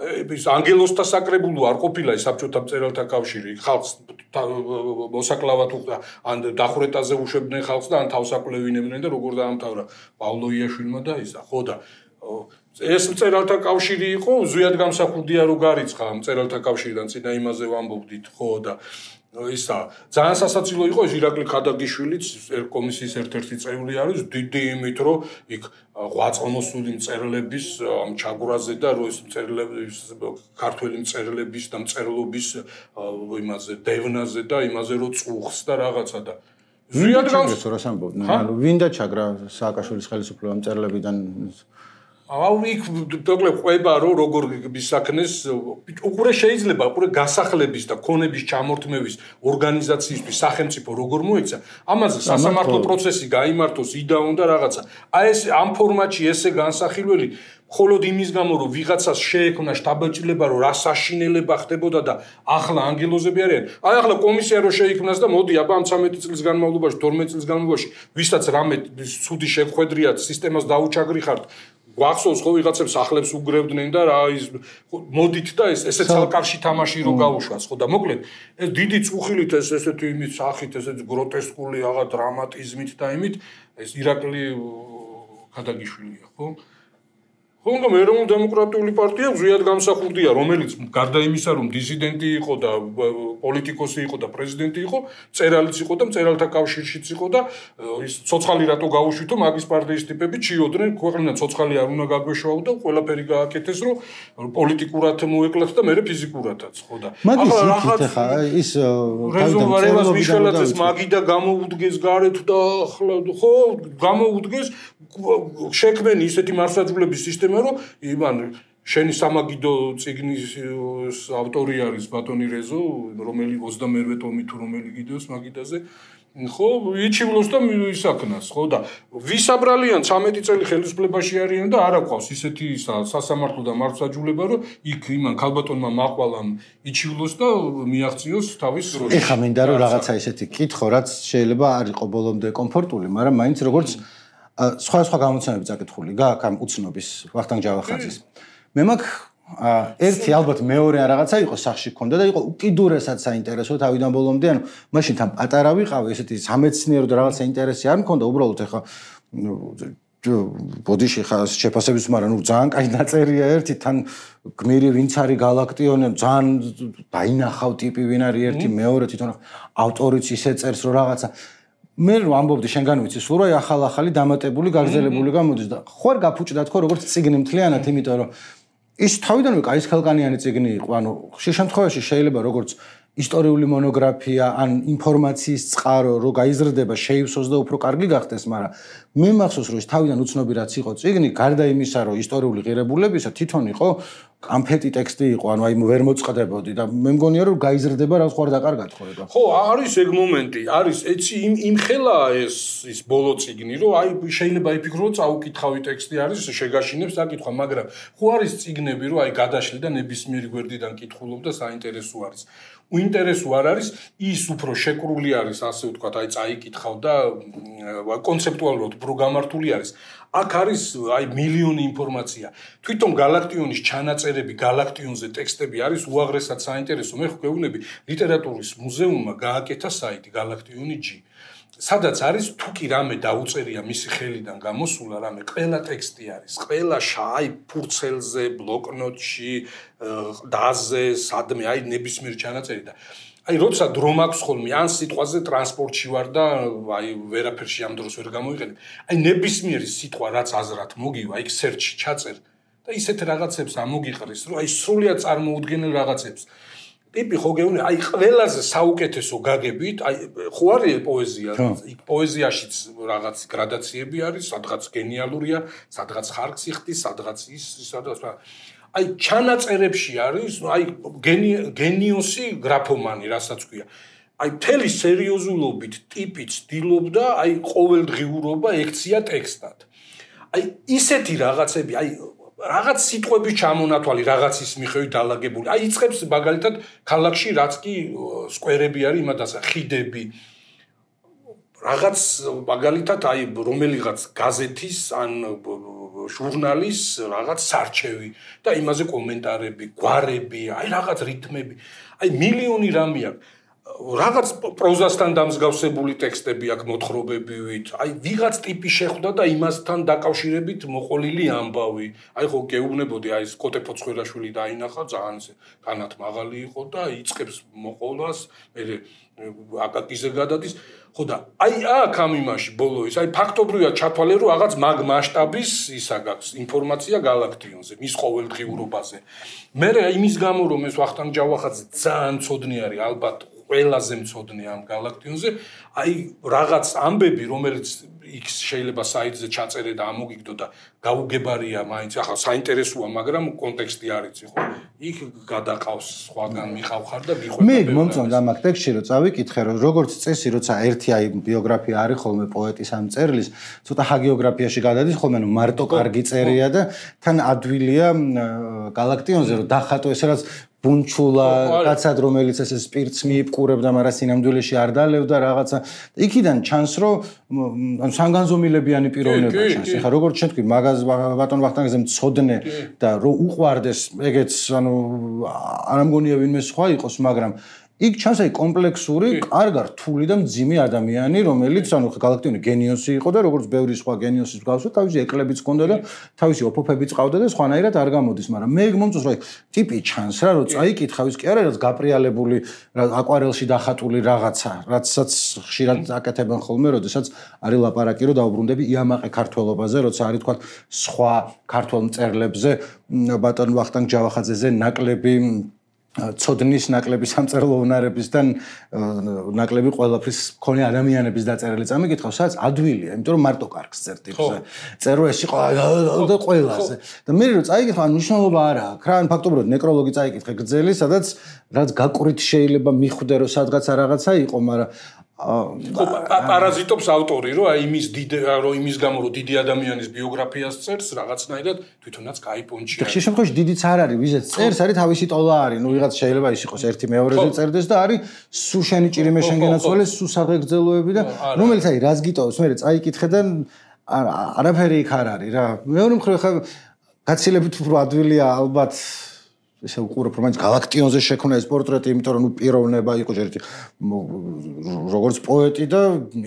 ის ანგელოსთა საკრებულო არ ყოფილა ის საბჭოთა მწერალთა კავშირი ხალხს მოსაკლავად ან დახვრეტაზე უშვებდნენ ხალხს და ან თავსაკვლევინებდნენ და როგორ დაამთავრა პაოლო იაშვილმა და ისა ხო და ეს მწერალთა კავშირი იყო ზვიად გამსახურდია რო გარიცხა მწერალთა კავშირიდან წინა იმაზე ვამბობდით ხო და ისა ძალიან სასაცილო იყო ეს ირაკლი ქადაგიშვილიც კომისიის ერთ-ერთი წევრი არის დიდი იმით რომ იქ ღვაწლმოსული მწერლების ამ ჩაგვრაზე და რო ეს მწერლების ქართველი მწერლების და მწერლობის იმაზე დევნაზე და იმაზე რომ წუხს და რაღაცა და ზვიად გამს რას ამბობდნენ ანუ ვინ და ჩაგრა სააკაშვილის ხელისუფლება მწერლებიდან აუ იქ დოკლე ყვება რომ როგორ მისაქნეს უყურე შეიძლება უყურე გასახლების და ქონების ჩამორთმევის ორგანიზაციისთვის სახელმწიფო როგორ მოეცა ამაზე სასამართლო პროცესი გაიმართოს იდაონ და რაღაცა აი ეს ამ ფორმატში ესე განსახილველი მხოლოდ იმის გამო რომ ვიღაცას შეექმნა შტაბ-ჭრილება რომ რა საშინელება ხდებოდა და ახლა ანგელოზები არიან აი ახლა კომისია რო შეიქმნას და მოდი აბა ამ ცამეტი წლის განმავლობაში თორმეტი წლის განმავლობაში ვისაც რამე ცუდი შეხვედრიათ სისტემას დაუჩაგრიხართ გვახსოვს ხო ვიღაცებს სახლებს უგრევდნენ და რა ის მოდით და ეს ესე ცალკარში თამაში რო გაუშვას ხო და მოკლედ ეს დიდი წუხილით ეს ესეთი იმით სახით ესეთი გროტესკული აღა დრამატიზმით და იმით ეს ირაკლი ქადაგიშვილია ხო ხონდა ეროვნულ დემოკრატიული პარტია ზვიად გამსახურდია რომელიც გარდა იმისა რომ დისიდენტი იყო და პოლიტიკოსი იყო და პრეზიდენტი იყო წერალიც იყო და მწერალთა კავშირშიც იყო და ის ცოცხალი რატო გაუშვითო მაგის პარტიის ტიპები ჩიოდნენ ქვეყნიდან ცოცხალი არ უნდა გაგვეშვა და ყველაფერი გააკეთეს რომ პოლიტიკურად მოეკლათ და მეორე ფიზიკურადაც ხო და ახლა რაღაც ის რეზოლვარებას მიშველაძეს მაგი და გამოუდგეს გარეთ და ახლა ხო გამოუდგეს შექმენი ისეთი მარსაჯულების სისტემა რომ იმან შენი სამაგიდო წიგნის ავტორი არის ბატონი რეზო რომელიც ოცდამეერთე ტომი თუ რომელი გიდოს მაგიდაზე ხო იჩივლოს და ისაქნას ხო და ვისაბრალიან ცამეტი წელი ხელისუფლებაში არიან და არ აყვავს ისეთი სასამართლო და მარცხაჯულება რომ იქ იმან ქალბატონმა მაყვალამ იჩივლოს და მიაღწიოს თავის როლში ეხა მინდა რომ რაღაცა ისეთი კითხო რაც შეიძლება არ იყო ბოლომდე კომფორტული მაგრამ მაინც როგორც სხვა სხვა გამოცემები წაკითხული გაქვს ამ უცნობის ვახტანგ ჯავახაძის მე მაქვს ერთი ალბათ მეორე რაღაცა იყო სახში ქონდა და იყო უკიდურესად საინტერესო თავიდან ბოლომდე ანუ მაშინ თან პატარა ვიყავი ესეთი სამეცნიერო და რაღაცა ინტერესი არ მქონდა უბრალოდ ეხა ბოდიში ხა შეფასების მაგრამ ნუ ძალიან კაი დაწერია ერთი თან გმირი ვინც არის galaktione ძალიან დაინახავ ტიპი ვინ არის ერთი მეორე თვითონ ავტორიც ისე წერს რომ რაღაცა მე რომ ამბობდი შენგან ვიცი სულ რა ახალ-ახალი დამატებული გაგზელებული გამოდის და ხوار გაფუჭდა თქო როგორც წიგნი მთლიანად იმიტომ რომ ის თავიდანვე კაის ხელკანიანი წიგნი იყო ანუ ხშირ შემთხვევაში შეიძლება როგორც ისტორიული მონოგრაფია ან ინფორმაციის წყარო რო გაიზრდება შეივსოს და უფრო კარგი გახდეს მაგრამ მე მახსოვს რომ ის თავიდან უცნობი რაც იყო წიგნი გარდა იმისა რომ ისტორიული ღირებულებისა თვითონ იყო კამფეტი ტექსტი იყო, ანუ აი ვერ მოწყდებოდი და მე მგონია რომ გაიზრდება რა სხვა და კარგად ხო ეგა. ხო, არის ეგ მომენტი, არის ეცი იმ იმ ხელა ეს ის ბოლო წიგნი, რომ აი შეიძლება იფიქრო რომ წაუკითხავი ტექსტი არის, შეგაშინებს საკითხვა, მაგრამ ხო არის წიგნები, რომ აი გადაშლი და ნებისმიერი გვერდიდან კითხულობ და საინტერესო არის. უინტერესო არ არის, ის უფრო შეკრული არის, ასე ვთქვათ, აი წაიკითხავ და კონცეპტუალურად უფრო გამართული არის. აქ არის აი მილიონი ინფორმაცია. თვითონ galaktionis ჩანაწერები, galaktionze ტექსტები არის უაღრესად საინტერესო. მე ხო გეუბნები, ლიტერატურის მუზეუმმა გააკეთა საიტი galaktioni.g. სადაც არის თუ კი რამე დაუწერია მისი ხელიდან გამოსულა რამე, ყველა ტექსტი არის. ყველა შაი ფურცელზე, ბლოკნოტში, დაზე, სადმე, აი ნებისმიერ ჩანაწერი და აი როცა დრო მაქვს ხოლმე ან სიტყვაზე ტრანსპორტში ვარ და აი ვერაფერში ამ დროს ვერ გამოიყენებ. აი ნებისმიერი სიტყვა რაც აზრად მოგივა, იქ search-ში ჩაწერ და ისეთ რაღაცებს ამოგიყრის, რომ აი სრულიად წარმოუდგენელ რაღაცებს. ტიპი ხო გეუბნები, აი ყველაზე საუკეთესო გაგებით, აი ხო არის პოეზია, იქ პოეზიაშიც რაღაც გრადაციები არის, სადღაც გენიალურია, სადღაც ხარკს იხდის, სადღაც ის, სადღაც აი ჩანაწერებში არის, აი გენიოსი გრაფომანი, რასაც ქვია. აი მთელი სერიოზულობით ტიპი ცდილობდა, აი ყოველდღიურობა ექცია ტექსტად. აი ისეთი რაღაცები, აი რაღაც სიტყვების ჩამონათვალი, რაღაცის მიხედვით დალაგებული. აი იწყებს მაგალითად ქალაქში რაც კი სკვერები არის, იმადასა ხიდები. რაღაც მაგალითად აი რომელიღაც გაზეთის ან ჟურნალის რაღაც სარჩევი და იმაზე კომენტარები, გვარები, აი რაღაც რითმები. აი მილიონი რამე აქვს. რაღაც პროზასთან დამსგავსებული ტექსტები აქვს მოთხრობებივით. აი ვიღაც ტიპი შეხვდა და იმასთან დაკავშირებით მოყოლილი ამბავი. აი ხო გეუბნებოდი, აი ეს კოტე ფოცხვერაშვილი დაინახა, ძალიან ესე განათ მაღალი იყო და იწყებს მოყოლას, მე აკაკიზე გადადის. ხო და აი აქ ამ იმაში ბოლოის, აი ფაქტობრივად ჩათვალე რომ რაღაც მაგ მასშტაბის ისა გაქვს ინფორმაცია galaktionze, მის ყოველდღიურობაზე. მე იმის გამო რომ ეს ვახტანგ ჯავახაძე ძალიან ცოდნი არის, ალბათ ყველაზე მცოდნე ამ galaktionze, აი რაღაც ამბები, რომელიც იქ შეიძლება საიტზე ჩაწერე და ამოგიგდო და გაუგებარია მაინც, ახლა საინტერესოა, მაგრამ კონტექსტი არ იცი, ხო? იქ გადაყავს სხვაგან მიყავხარ და მიყვება. მე მომწონდა ამ ტექსტში რომ წავიკითხე, რომ როგორც წესი, როცა ერთი აი ბიოგრაფია არის ხოლმე პოეტის ამ წერლის, ცოტა ჰაგიოგრაფიაში გადადის ხოლმე, ნუ მარტო კარგი წერია და თან ადვილია galaktionze რომ დახატო ესე რაც ბუნჩულა, კაცად რომელიც ესე სპირტს მიიპყურებდა, მაგრამ სინამდვილეში არ დალებდა რაღაცა. იქიდან ჩანს, რომ ანუ სანგანზომილებიანი პიროვნება ჩანს. ეხლა როგორც შენ თქვი, მაგაზ ბატონ ვახტანგზე მცოდნე და რომ უყვარდეს, ეგეც ანუ არ ამგონია ვინმე სხვა იყოს, მაგრამ იქ ჩანს აი კომპლექსური, კარგა რთული და მძიმე ადამიანი, რომელიც ანუ galaktioni გენიოსი იყო და როგორც ბევრი სხვა გენიოსის მსგავსად, თავისი ეკლებიც ჰქონდა და თავისი ოფოფებიც ყავდა და სხვანაირად არ გამოდის, მაგრამ მე მომწონს რომ აი ტიპი ჩანს რა, რომ წაიკითხავ ის კი არა, რაც გაპრიალებული, აკვარელში დახატული რაღაცა, რაცაც ხშირად აკეთებენ ხოლმე, როდესაც არის ლაპარაკი, რომ დაუბრუნდები იამაყე ქართველობაზე, როცა არის თქვა სხვა ქართველ მწერლებზე, ბატონ ვახტანგ ჯავახაძეზე ნაკლები ცოდნის ნაკლები სამწერლო უნარებისგან ნაკლები ყველაფრის მქონე ადამიანების დაწერილი წამიკითხავს, სადაც ადვილია, იმიტომ რომ მარტო კარგს წერ ტიპზე. წერო ეს იყო და ყველაზე. და მე რომ წაიკითხა, ან მნიშვნელობა არ აქვს. რა, ან ფაქტობრივად ნეკროლოგი წაიკითხე გრძელი, სადაც რაც გაკვრით შეიძლება მიხვდე რომ სადღაცა რაღაცა იყო, მაგრამ ხო პარაზიტობს ავტორი, რომ აი იმის დიდ რომ იმის გამო რომ დიდი ადამიანის ბიოგრაფიას წერს, რაღაცნაირად თვითონაც გაიპონჩია. ხშირ შემთხვევაში დიდიც არ არის, ვიზეც წერს, არის თავისი ტოლა არის. ნუ ვიღაც შეიძლება ის იყოს ერთი მეორეზე წერდეს და არის სუ შენი ჭირიმე შენ გენაცვალე, სუ საღეგრძელოები და რომელიც აი რას გიტოვებს, მე წაიკითხე და არაფერი იქ არ არის რა. მეორე მხრივ ხა გაცილებით უფრო ადვილია ალბათ ესე უყურებ რომ მაინც galaktionze შექმნა ეს პორტრეტი, იმიტომ რომ ნუ პიროვნება იყო ჯერ ერთი როგორც პოეტი და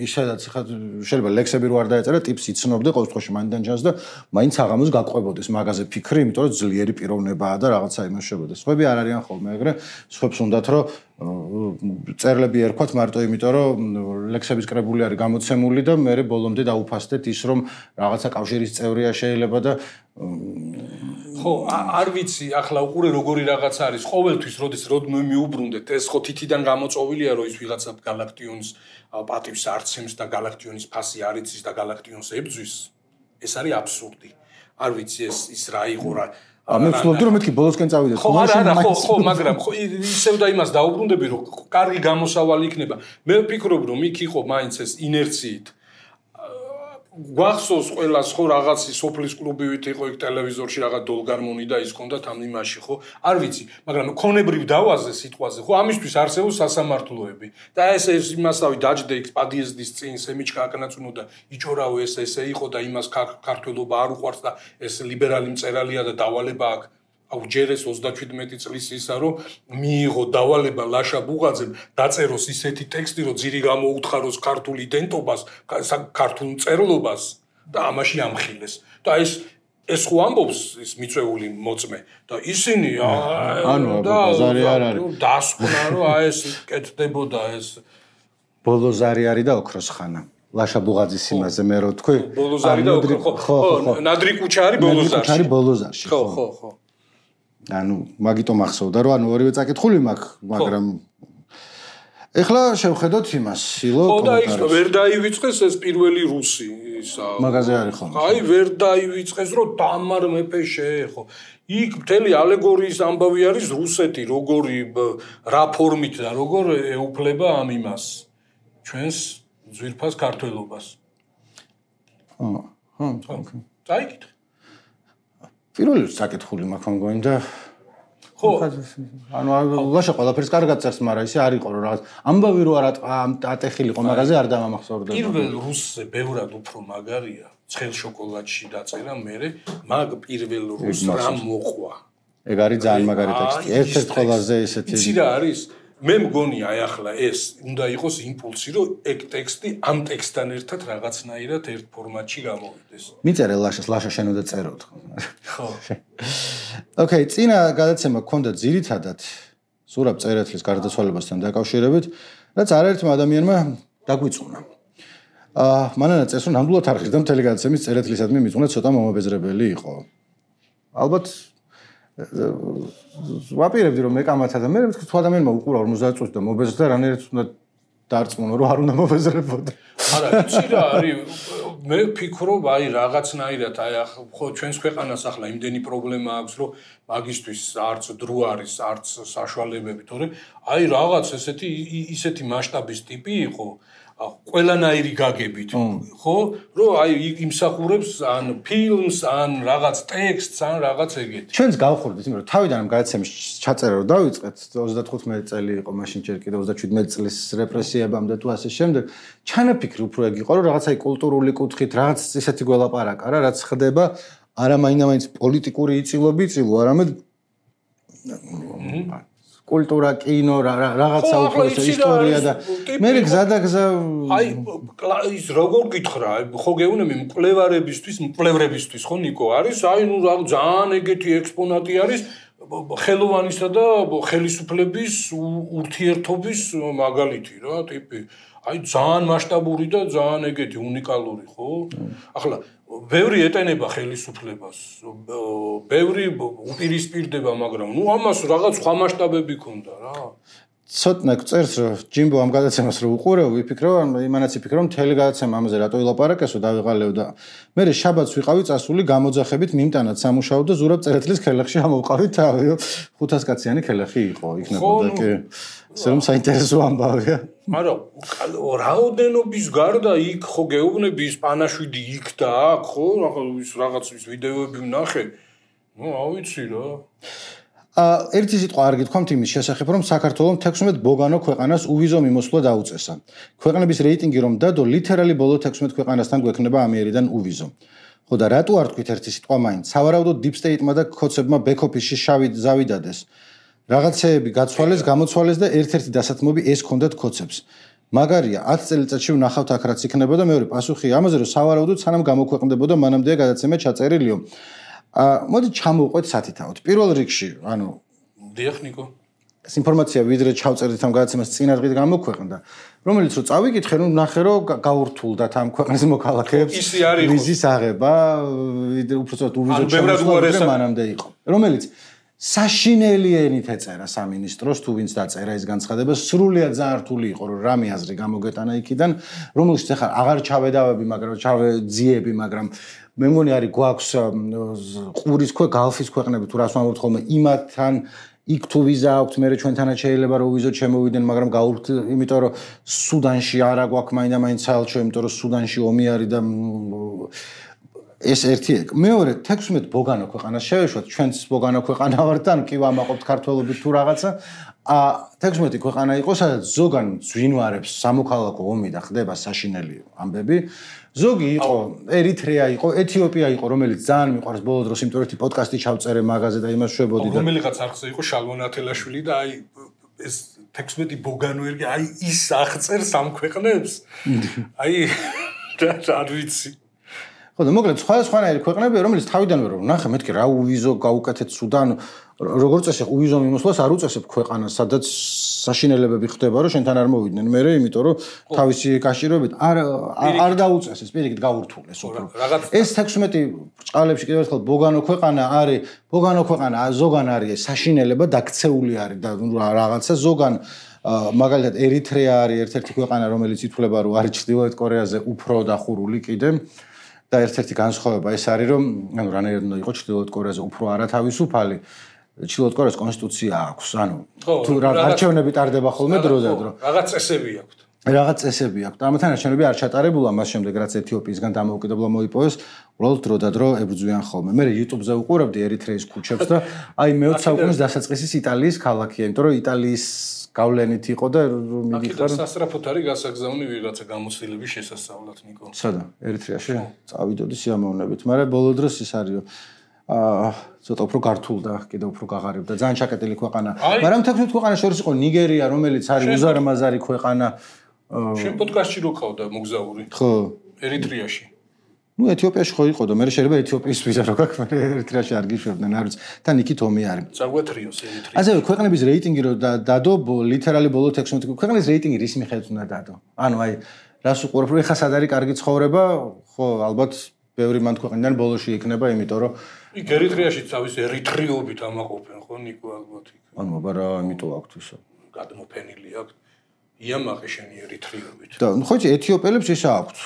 ისედაც ხა შეიძლება ლექსები რო არ დაეწერა, ტიპს იცნობდე ყოველ შემთხვევაში მაინდან ჩანს და მაინც აღამოს გაყვებოდეს მაგაზე ფიქრი, იმიტომ რომ ძლიერი პიროვნებაა და რაღაცა იმაშებოდეს. სხვები არ არიან ხოლმე ეგრე, სხვებს უნდათ რომ წერლები ერქვათ მარტო იმიტომ რომ ლექსების კრებული არის გამოცემული და მე ბოლომდე დაუფასდეთ ის რომ რაღაცა კავშირის წევრია შეიძლება და ხო არ ვიცი ახლა უყურე როგორი რაღაც არის ყოველთვის როდის როდმე მიუბრუნდეთ ეს ხო თითიდან გამოწოვილია რომ ის ვიღაცა galaktionis პატივს არცემს და galaktionis ფასი არ იცის და galaktionis ებძვის ეს არის აბსურდი არ ვიცი ეს ის რა იყო რა მე ვცდილობდი რომ მეთქი ბოლოსკენ წავიდეთ. ხო, არა, არა, ხო, ხო, მაგრამ ხო ისევ და იმას დაუბრუნდები რომ კარგი გამოსავალი იქნება. მე ვფიქრობ რომ იქ იყო მაინც ეს ინერციით. გვახსოვს ყველას ხო რაღაცი სოფლის კლუბივით იყო იქ ტელევიზორში რაღაც დოლგარმონი და ის კონდათ ამ იმაში ხო არ ვიცი მაგრამ ქონებრივ დავაზე სიტყვაზე ხო ამისთვის არსებობს სასამართლოები და ეს ეს იმასავი დაჯდე იქ პადიეზდის წინ სემიჩკა აკნაწუნო და იჭორავო ეს ესე იყო და იმას ქართველობა არ უყვარს და ეს ლიბერალი მწერალია და დავალება აქვს აუ ჯერეს ოცდაშვიდმეტი წლის ისა რომ მიიღო დავალება ლაშა ბუღაძემ დაწეროს ისეთი ტექსტი რომ ძირი გამოუთხაროს ქართულ იდენტობას ქართულ მწერლობას და ამაში ამხილეს და ეს ეს ხო ამბობს ის მიწვეული მოწმე და ისინი ანუ ბაზარი არ არის დასკვნა რომ აი ეს კეთდებოდა ეს ბოლოზარი არის და ოქროს ხანა ლაშა ბუღაძის იმაზე მე რო თქვი ბოლოზარი და ოქრო ხო ნადრი კუჩა არის ბოლოზარში არის ბოლოზარში ხო ხო ხო ანუ მაგიტომ ახსოვდა რომ ანუ ორივე წაკითხული მაქვს მაგრამ ეხლა შევხედოთ იმას სილო ხო და ის ვერ დაივიწყეს ეს პირველი რუსი ისა მაგაზე არის ხომ აი ვერ დაივიწყეს რომ დამარ მეფე შეეხო იქ მთელი ალეგორიის ამბავი არის რუსეთი როგორი რა ფორმით და როგორ ეუფლება ამ იმას ჩვენს ძვირფას ქართველობას ხო ხო წაიკითხე პირველი საკითხული მაქვს მგონი და ხო ანუ ლაშა ყველაფერს კარგად წერს მაგრამ ისე არ იყო რომ რაღაც ამბავი რო არ ატეხილიყო მაგაზე არ დამამახსოვრდა პირველ რუსზე ბევრად უფრო მაგარია ცხელ შოკოლადში დაწერა მე მაგ პირველ რუს რამ მოყვა ეგ არის ძალიან მაგარი ტექსტი ერთ-ერთ ყველაზე ესეთი იცი რა არის მე მგონი აი ახლა ეს უნდა იყოს იმპულსი რომ ეგ ტექსტი ამ ტექსტთან ერთად რაღაცნაირად ერთ ფორმატში გამოვიდეს მიწერე ლაშას ლაშა შენ უნდა წეროთ ხო ოკეი წინა გადაცემა გქონდა ძირითადად ზურაბ წერეთლის გარდაცვალებასთან დაკავშირებით რაც არაერთმა ადამიანმა დაგვიწუნა აა მანანა წეს რომ ნამდვილად არ ხედავ მთელი გადაცემის წერეთლისადმი მიწუნა ცოტა მომაბეზრებელი იყო ალბათ ვაპირებდი რომ მეკამათა და მე მეთქი თუ ადამიანმა უყურა ორმოცდაათ წუთი და მობეზრდა რანაირად უნდა დარწმუნო რომ არ უნდა მობეზრებოდა არა იცი რა არის მე ვფიქრობ აი რაღაცნაირად აი ხო ჩვენს ქვეყანას ახლა იმდენი პრობლემა აქვს რომ მაგისტვის არც დრო არის არც საშუალებები თორე აი რაღაც ესეთი ისეთი მასშტაბის ტიპი იყო ყველანაირი გაგებით ხო რომ აი იმსახურებს ან ფილმს ან რაღაც ტექსტს ან რაღაც ეგეთი ჩვენს გავხურდით იმიტომ რომ თავიდან ამ გადაცემის ჩაწერა რომ დავიწყეთ ოცდათხუთმეტი წელი იყო მაშინ ჯერ კიდევ ოცდაშვიდმეტი წლის რეპრესიებამდე თუ ასე შემდეგ ჩანაფიქრი უფრო ეგ იყო რომ რაღაც აი კულტურული კუთხით რაღაც ისეთი გველაპარაკა რა რაც ხდება არა მაინდა-მაინც პოლიტიკური იწილობი იწილო არამედ კულტურა, კინო, რაღაცა უფრო ისტორია და მე გზადაგზა აი ის როგორ გითხრა, ხო გეუბნები მკვლევარებისთვის, მკვლევრებისთვის ხო ნიკო არის, აი ნუ ძალიან ეგეთი ექსპონატი არის ხელოვანისა და ხელისუფლების ურთიერთობის მაგალითი რა, ტიპი. აი ძალიან მასშტაბური და ძალიან ეგეთი უნიკალური ხო? ახლა ბევრი ეტენება ხელისუფლებას, ბევრი უპირისპირდება, მაგრამ ნუ ამას რაღაც სხვა მასშტაბები ქონდა რა. ცოტა წერს რომ ჯიმბო ამ გადაცემას რო უყურებ, ვიფიქრე, იმანაც ვიფიქრე, რომ მთელი გადაცემა ამაზე რატო ილაპარაკესო, დავიღალევ და მე შაბათს ვიყავი წასული გამოძახებით მიმტანად სამუშაო და ზურაბ წერეთლის ქელახში ამოვყავით თავი, ხუთას კაციანი ქელახი იყო, იქნებოდა კი. ეს რომ საინტერესო ამბავია. მაგრამ რაოდენობის გარდა იქ ხო გეუბნები ის პანაშვიდი იქ და აქ ხო ის რაღაც ის ვიდეოები ვნახე. ნუ ავიცი რა. ა ერთი სიტყვა არ გითქვამთ იმის შესახებ, რომ საქართველოს თექვსმეტ ბოგანო ქვეყანას უვიზო მიმოსვლა დაუწესა. ქვეყნების რეიტინგი რომ დადო, ლიტერალი ბოლო თექვსმეტ ქვეყანასთან გვექნება ამიერიდან უვიზო. ხო და რატო არ თქვით ერთი სიტყვა მაინც? სავარაუდოდ deep state-მა და კოცებმა back-office-ში შავი ზავი დადეს. რაღაცეები გაცვალეს, გამოცვალეს და ერთ-ერთი დასათმობი ეს ქონდათ კოცებს. მაგარია, ათი წელიწადში ვნახავთ აქ რაც იქნება და მეორე პასუხი ამაზე რომ სავარაუდოდ სანამ გამოქვეყნდებოდა მანამდეა გადაცემა ჩაწერილიო. ა მოდი ჩამოვყვეთ სათითაოდ. პირველ რიგში, ანუ დიახ ნიკო. ეს ინფორმაცია ვიდრე ჩავწერდით ამ გადაცემას წინა დღით გამოქვეყნდა, რომელიც რომ წავიკითხე, რომ ნახე რომ გაურთულდათ ამ ქვეყნის მოქალაქეებს ვიზის აღება, ვიდრე უბრალოდ უვიზო შემოსვლა მანამდე იყო. რომელიც საშინელი ენით ეწერა სამინისტროს თუ ვინც დაწერა ეს განცხადება, სრულიად ძალიან რთული იყო რომ რამე აზრი გამოგეტანა იქიდან, რომელშიც ახლა აღარ ჩავედავები, მაგრამ ჩავეძიები, მაგრამ მე მგონი არის გვაქვს ყურის ქვე გალფის ქვეყნები თუ რას ვამბობთ ხოლმე იმათთან იქ თუ ვიზა აქვთ მე ჩვენთანაც შეიძლება რომ ვიზოთ შემოვიდნენ მაგრამ გაურთ იმიტომ რომ სუდანში არა გვაქვს მაინდა-მაინც საელჩო იმიტომ რომ სუდანში ომი არის და ეს ერთი ეგ მეორე თექვსმეტ ბოგანო ქვეყანას შევეშვათ ჩვენც ბოგანო ქვეყანა ვართ ან კი ვამაყობთ ქართველობით თუ რაღაცა ა თექვსმეტი ქვეყანა იყო სადაც ზოგან ძვინვარებს სამოქალაქო ომი და ხდება საშინელი ამბები ზოგი იყო ერიტრეა იყო ეთიოპია იყო რომელიც ძალიან მიყვარს ბოლო დროს იმიტომ რომ პოდკასტი ჩავწერე მაგაზე და იმას შვებოდი და რომელიღაც არხზე იყო შალვონ ათელაშვილი და აი ეს თექვსმეტი ბოგანო ერგი აი ის აღწერს ამ ქვეყნებს აი არ ვიცი ხო და მოკლედ სხვა სხვანაირი ქვეყნებია რომელიც თავიდანვე რომ ნახე მეთქი რა უვიზო გაუკეთეთ სუდან როგორც წესი უვიზო მიმოსვლას არ უწესებ ქვეყანას სადაც საშინელებები ხდება რომ შენთან არ მოვიდნენ მე იმიტომ რომ თავისი კავშირობით არ არ დაუწესეს პირიქით გაურთულეს უფრო ეს თექვსმეტი ბრჭყალებში კიდევ ერთხელ ბოგანო ქვეყანა არის ბოგანო ქვეყანა ზოგან არის საშინელება დაქცეული არის და რაღაცა ზოგან მაგალითად ერიტრეა არის ერთ-ერთი ქვეყანა რომელიც ითვლება რომ არის ჩრდილოეთ კორეაზე უფრო დახურული კიდე და ერთ-ერთი განსხვავება ეს არის რომ ანუ რანაირად უნდა იყოს ჩრდილოეთ კორეაზე უფრო არათავისუფალი ჩრდილოეთ კორეას კონსტიტუცია აქვს ანუ თუ არჩევნები ტარდება ხოლმე დრო და დრო რაღაც წესები აქვს რაღაც წესები აქვს და ამათთან არჩევნები არ ჩატარებულა მას შემდეგ რაც ეთიოპიისგან დამოუკიდებლობა მოიპოვეს უბრალოდ დრო და დრო ებრძვიან ხოლმე მე YouTube-ზე უყურებდი ერიტრეის ქუჩებს და აი მეოცე საუკუნის დასაწყისის იტალიის ქალაქია იმიტომ რომ იტალიის გავლენით იყო და მიგიხარ სასწრაფოდ არის გასაგზავნი ვიღაცა გამოცდილების შესასწავლად ნიკო სადა ერიტრეაში წავიდოდი სიამოვნებით მაგრამ ბოლო დროს ის არის აა ცოტა უფრო გართულდა კიდევ უფრო გაღარიბდა ძალიან ჩაკეტილი ქვეყანა მაგრამ თექვსმეტ ქვეყანას შორის იყო ნიგერია რომელიც არის უზარმაზარი ქვეყანა შენ პოდკასტში რო ყავდა მოგზაური ხო ერიტრეაში ну ეთიოპიაში ხო იყო და მე შეიძლება ეთიოპიის ვიზა რო გაქვს მე ერიტრეაში არ გიშვებდნენ არ ვიცი თან იქით ომი არის წაგვეთრიოს ერიტრეა ასევე ქვეყნების რეიტინგი რო დადო ლიტერალი ბოლო თექვსმეტი ქვეყნის რეიტინგი რის მიხედვით უნდა დადო ანუ აი რას უყურებ რომ ეხა სად არის კარგი ცხოვრება ხო ალბათ ბევრი მან ქვეყნიდან ბოლოში იქნება იმიტომ რომ იქ ერიტრეაში თავის ერიტრიობით ამაყობენ ხო ნიკო ალბათ იქ ანუ აბარა ამიტომ აქვთ ისო გადმოფენილი აქვს იამაყი შენი ერიტრიობით და ხო იცი ეთიოპელებს ისა აქვთ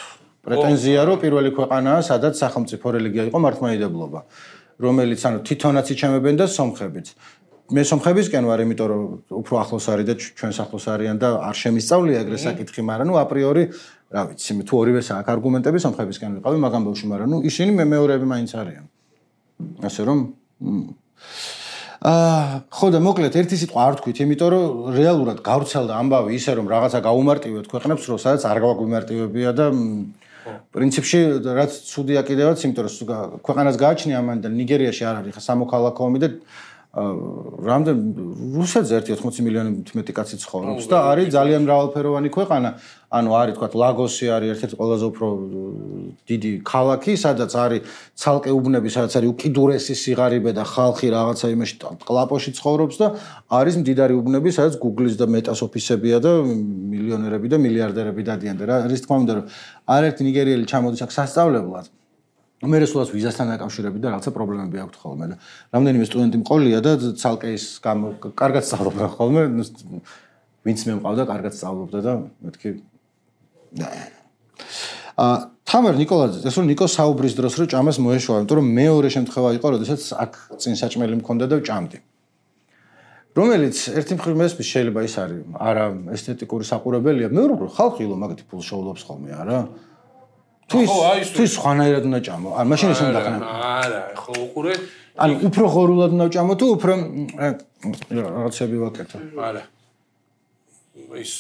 პრეტენზია რომ პირველი ქვეყანაა სადაც სახელმწიფო რელიგია იყო მართლმადიდებლობა რომელიც ანუ თვითონაც იჩემებენ და სომხებიც მე სომხებისკენ ვარ იმიტომ რომ უფრო ახლოს არის და ჩვენს ახლოს არიან და არ შემისწავლია ეგრე საკითხი მაგრამ ნუ აპრიორი რა ვიცი მე თუ ორივეს აქვს არგუმენტები სომხებისკენ ვიყავი მაგამ ბავშვი მაგრამ ნუ ისინი მე მეორეები მაინც არიან ასე რომ აა ხო და მოკლედ ერთი სიტყვა არ თქვით იმიტომ რომ რეალურად გავრცელდა ამბავი ისე რომ რაღაცა გაუმარტივეთ ქვეყნებს რომ სადაც არ გაგვიმარტივებია და პრინციპში რაც ცუდია კიდევაც იმიტომ რომ ქვეყანას გააჩნია ამან და ნიგერიაში არ არის ხა სამოქალაქო ომი და რამდენ რუსეთზე ერთი ოცდაოთხ მილიონი მეტი კაცი ცხოვრობს და არის ძალიან მრავალფეროვანი ქვეყანა ანუ არის თქვა ლაგოსი არის ერთ-ერთი ყველაზე უფრო დიდი ქალაქი სადაც არის ცალკე უბნები სადაც არის უკიდურესი სიღარიბე და ხალხი რაღაცა იმაში კლაპოში ცხოვრობს და არის მდიდარი უბნები სადაც Google-ის და Meta-s ოფისებია და მილიონერები და მილიარდერები დადიან და რა რის თქმა უნდა რომ არაერთი ნიგერიელი ჩამოდის აქ სასწავლებლად მე რესულას ვიზასთან დაკავშირებით და რაღაცა პრობლემები აქვს ხოლმე და რამდენიმე სტუდენტი მყოლია და ცალკე ის კარგად სწავლობდა ხოლმე ვინც მე მყავდა კარგად სწავლობდა და მეთქი აა თამარ ნიკოლაძე ეს რომ ნიკო საუბრის დროს რო ჭამას მოეშვა იმიტომ რომ მეორე შემთხვევა იყო როდესაც აქ წინ საჭმელი მქონდა და ჭამდი რომელიც ერთი მხრივ მესმის შეიძლება ის არის არა ესთეტიკური საყურებელია მეორე მხრივ ხალხი ილო მაგათი ფულს შეულობს ხოლმე არა თუ ის თუ სხვანაირად უნდა ჭამო ან მაშინ ის უნდა ხნა არა ხო უყურე ან უფრო ღორულად უნდა ჭამო თუ უფრო რაღაცები ვაკეთო არა ის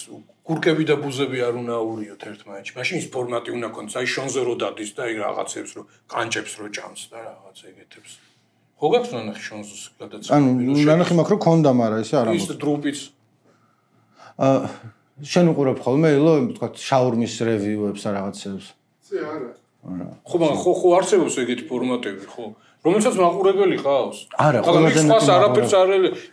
კურკები და ბუზები არ უნდა აურიოთ ერთმანეთში მაშინ ის ფორმატი უნდა კონდეს აი შონზე რო დადის და აი რაღაცებს რო კანჭებს რო ჭამს და რაღაც ეგეთებს ხო გაქვს ნახე შონზოს გადაცემა ანუ ნახე მაქვს რომ კონდა მაგრამ ისე არა ის დრუპიც აა შენ უყურებ ხოლმე ილო თქვა შაურმის რევიუებს და რაღაცებს არა. ხო, მაგრამ ხო ხო არსებობს ეგეთი ფორმატები, ხო? რომელსაც მაყურებელი ხავს? არა, ყველაზე მეტი არაფერს არ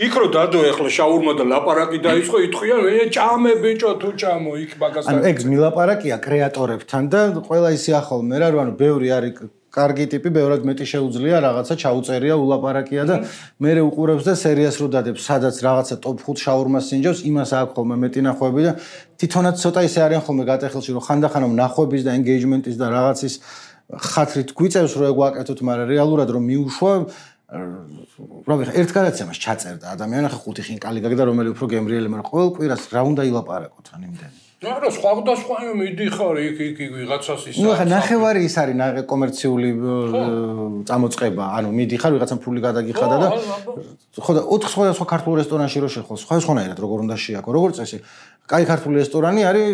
იქ რო დადო ახლა შაურმა და ლაპარაკი დაიწყო, ითქვია მე ჭამე ბიჭო თუ ჭამო იქ მაგასთან. ანუ ეგ მილაპარაკია კრეატორებთან და ყველა ისე ახალ მე რა ანუ ბევრი არის კარგი ტიპი, ბევრად მეტი შეუძლია რაღაცა ჩაუწერია, ულაპარაკია და მე უყურებს და სერიას რო დადებს, სადაც რაღაცა ტოპ ხუთ შაურმას ინჯობს, იმას აქვს ხოლმე მეტი ნახვები და თვითონაც ცოტა ისე არიან ხოლმე გატეხილში, რომ ხანდახანამ ნახვების და ენგეიჯმენტის და რაღაცის ხათრით გვიწევს რომ ეგ ვაკეთოთ, მაგრამ რეალურად რომ მიუშვა რა ვიცი, ერთ გადაცემას ჩაწერდა ადამიანი, ხა ხუთი ხინკალი გაგდა, რომელი უფრო გემრიელი, მაგრამ ყოველ კვირას რა უნდა ილაპარაკოთ ან იმდენი. არა, სხვა და სხვა მიდიხარ იქ იქ ვიღაცას ის. ნუ ხა ნახევარი ის არის კომერციული წამოწყება, ანუ მიდიხარ ვიღაცამ ფული გადაგიხადა და ხო და ოთხ სხვადასხვა ქართულ რესტორანში რო შეხვალ, სხვადასხვანაირად როგორ უნდა შეაქო. როგორც წესი, კაი ქართული რესტორანი არის,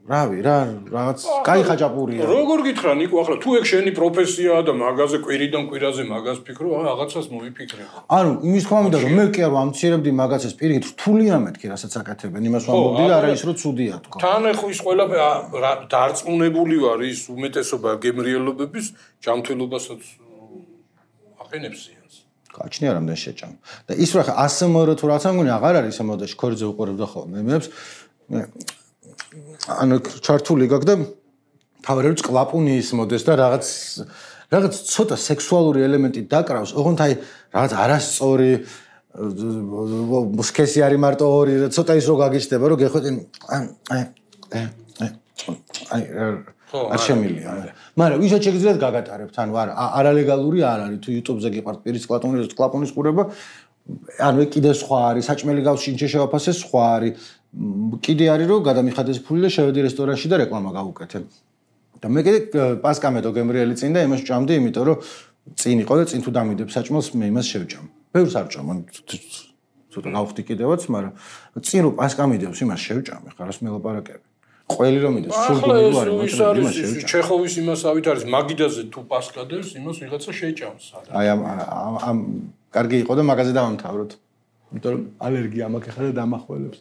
რავი, რა, რაღაც კაი ხაჭაპურია. როგორ გითხრა ნიკო, ახლა თუ ეგ შენი პროფესიაა და მაგაზე კვირიდან კვირაზე მაგას ფიქრო, რაღაცას მოიფიქრე. ანუ იმის თქმა მინდა რომ მე კი არ ვამცირებდი მაგაცას პირიქით რთულია მეთქი, რასაც აკეთებენ, იმას ვამბობდი და არა ის რომ ცუდია თქო. თან ეხო ის ყველაფერი დარწმუნებული ვარ ის უმეტესობა გემრიელობების ჯანმრთელობასაც აყენებს ზიანს. გაჩნია რამდენი შეჭამ. და ის რა ხა ასმრ თუ რაღაცა მგონი აღარ არის ამ მოდაში ქორიძე უყურებდა ხოლმე მეებს. ანუ ჩართული გაქვს და თავი წყლაპუნი ის მოდეს და რაღაც რაღაც ცოტა სექსუალური ელემენტი დაკრავს, ოღონდ აი რაღაც არასწორი სქესი არის მარტო ორი, ცოტა ის რო გაგიჩნდება, რომ გეხვეწინ აი აი არ შემილია. მაგრამ ვისაც შეგიძლიათ გაგატარებთ, ანუ არა არალეგალური არ არის, თუ YouTube-ზე გიყართ პირის კლაპუნის კლაპუნის ყურება, ანუ კიდე სხვა არის, საჭმელი გავს შინჩე შევაფასე სხვა არის. კიდე არის რომ გადამიხადეს ფული და შევედი რესტორანში და რეკლამა გავუკეთე. და მე კიდე პასკამედო გემრიელი წინ და იმას ჭამდი, იმიტომ რომ წინ იყო და წინ თუ დამიდებ საჭმელს მე იმას შევჭამ. ბევრს არ ჭამ, ცოტა გავხდი კიდევაც, მაგრამ წინ რომ პასკამიდებს იმას შევჭამე, ხარ რას მელაპარაკები. ყველი რომ მიდეს, სულ გული ვარ, მაგრამ იმას შევჭამ. ჩეხოვის იმასავით არის, მაგიდაზე თუ პასკადებს, იმას ვიღაცა შეჭამს. აი ამ ამ კარგი იყო და მაგაზე დავამთავროთ. იმიტომ რომ ალერგია მაქვს ახლა და დამახველებს.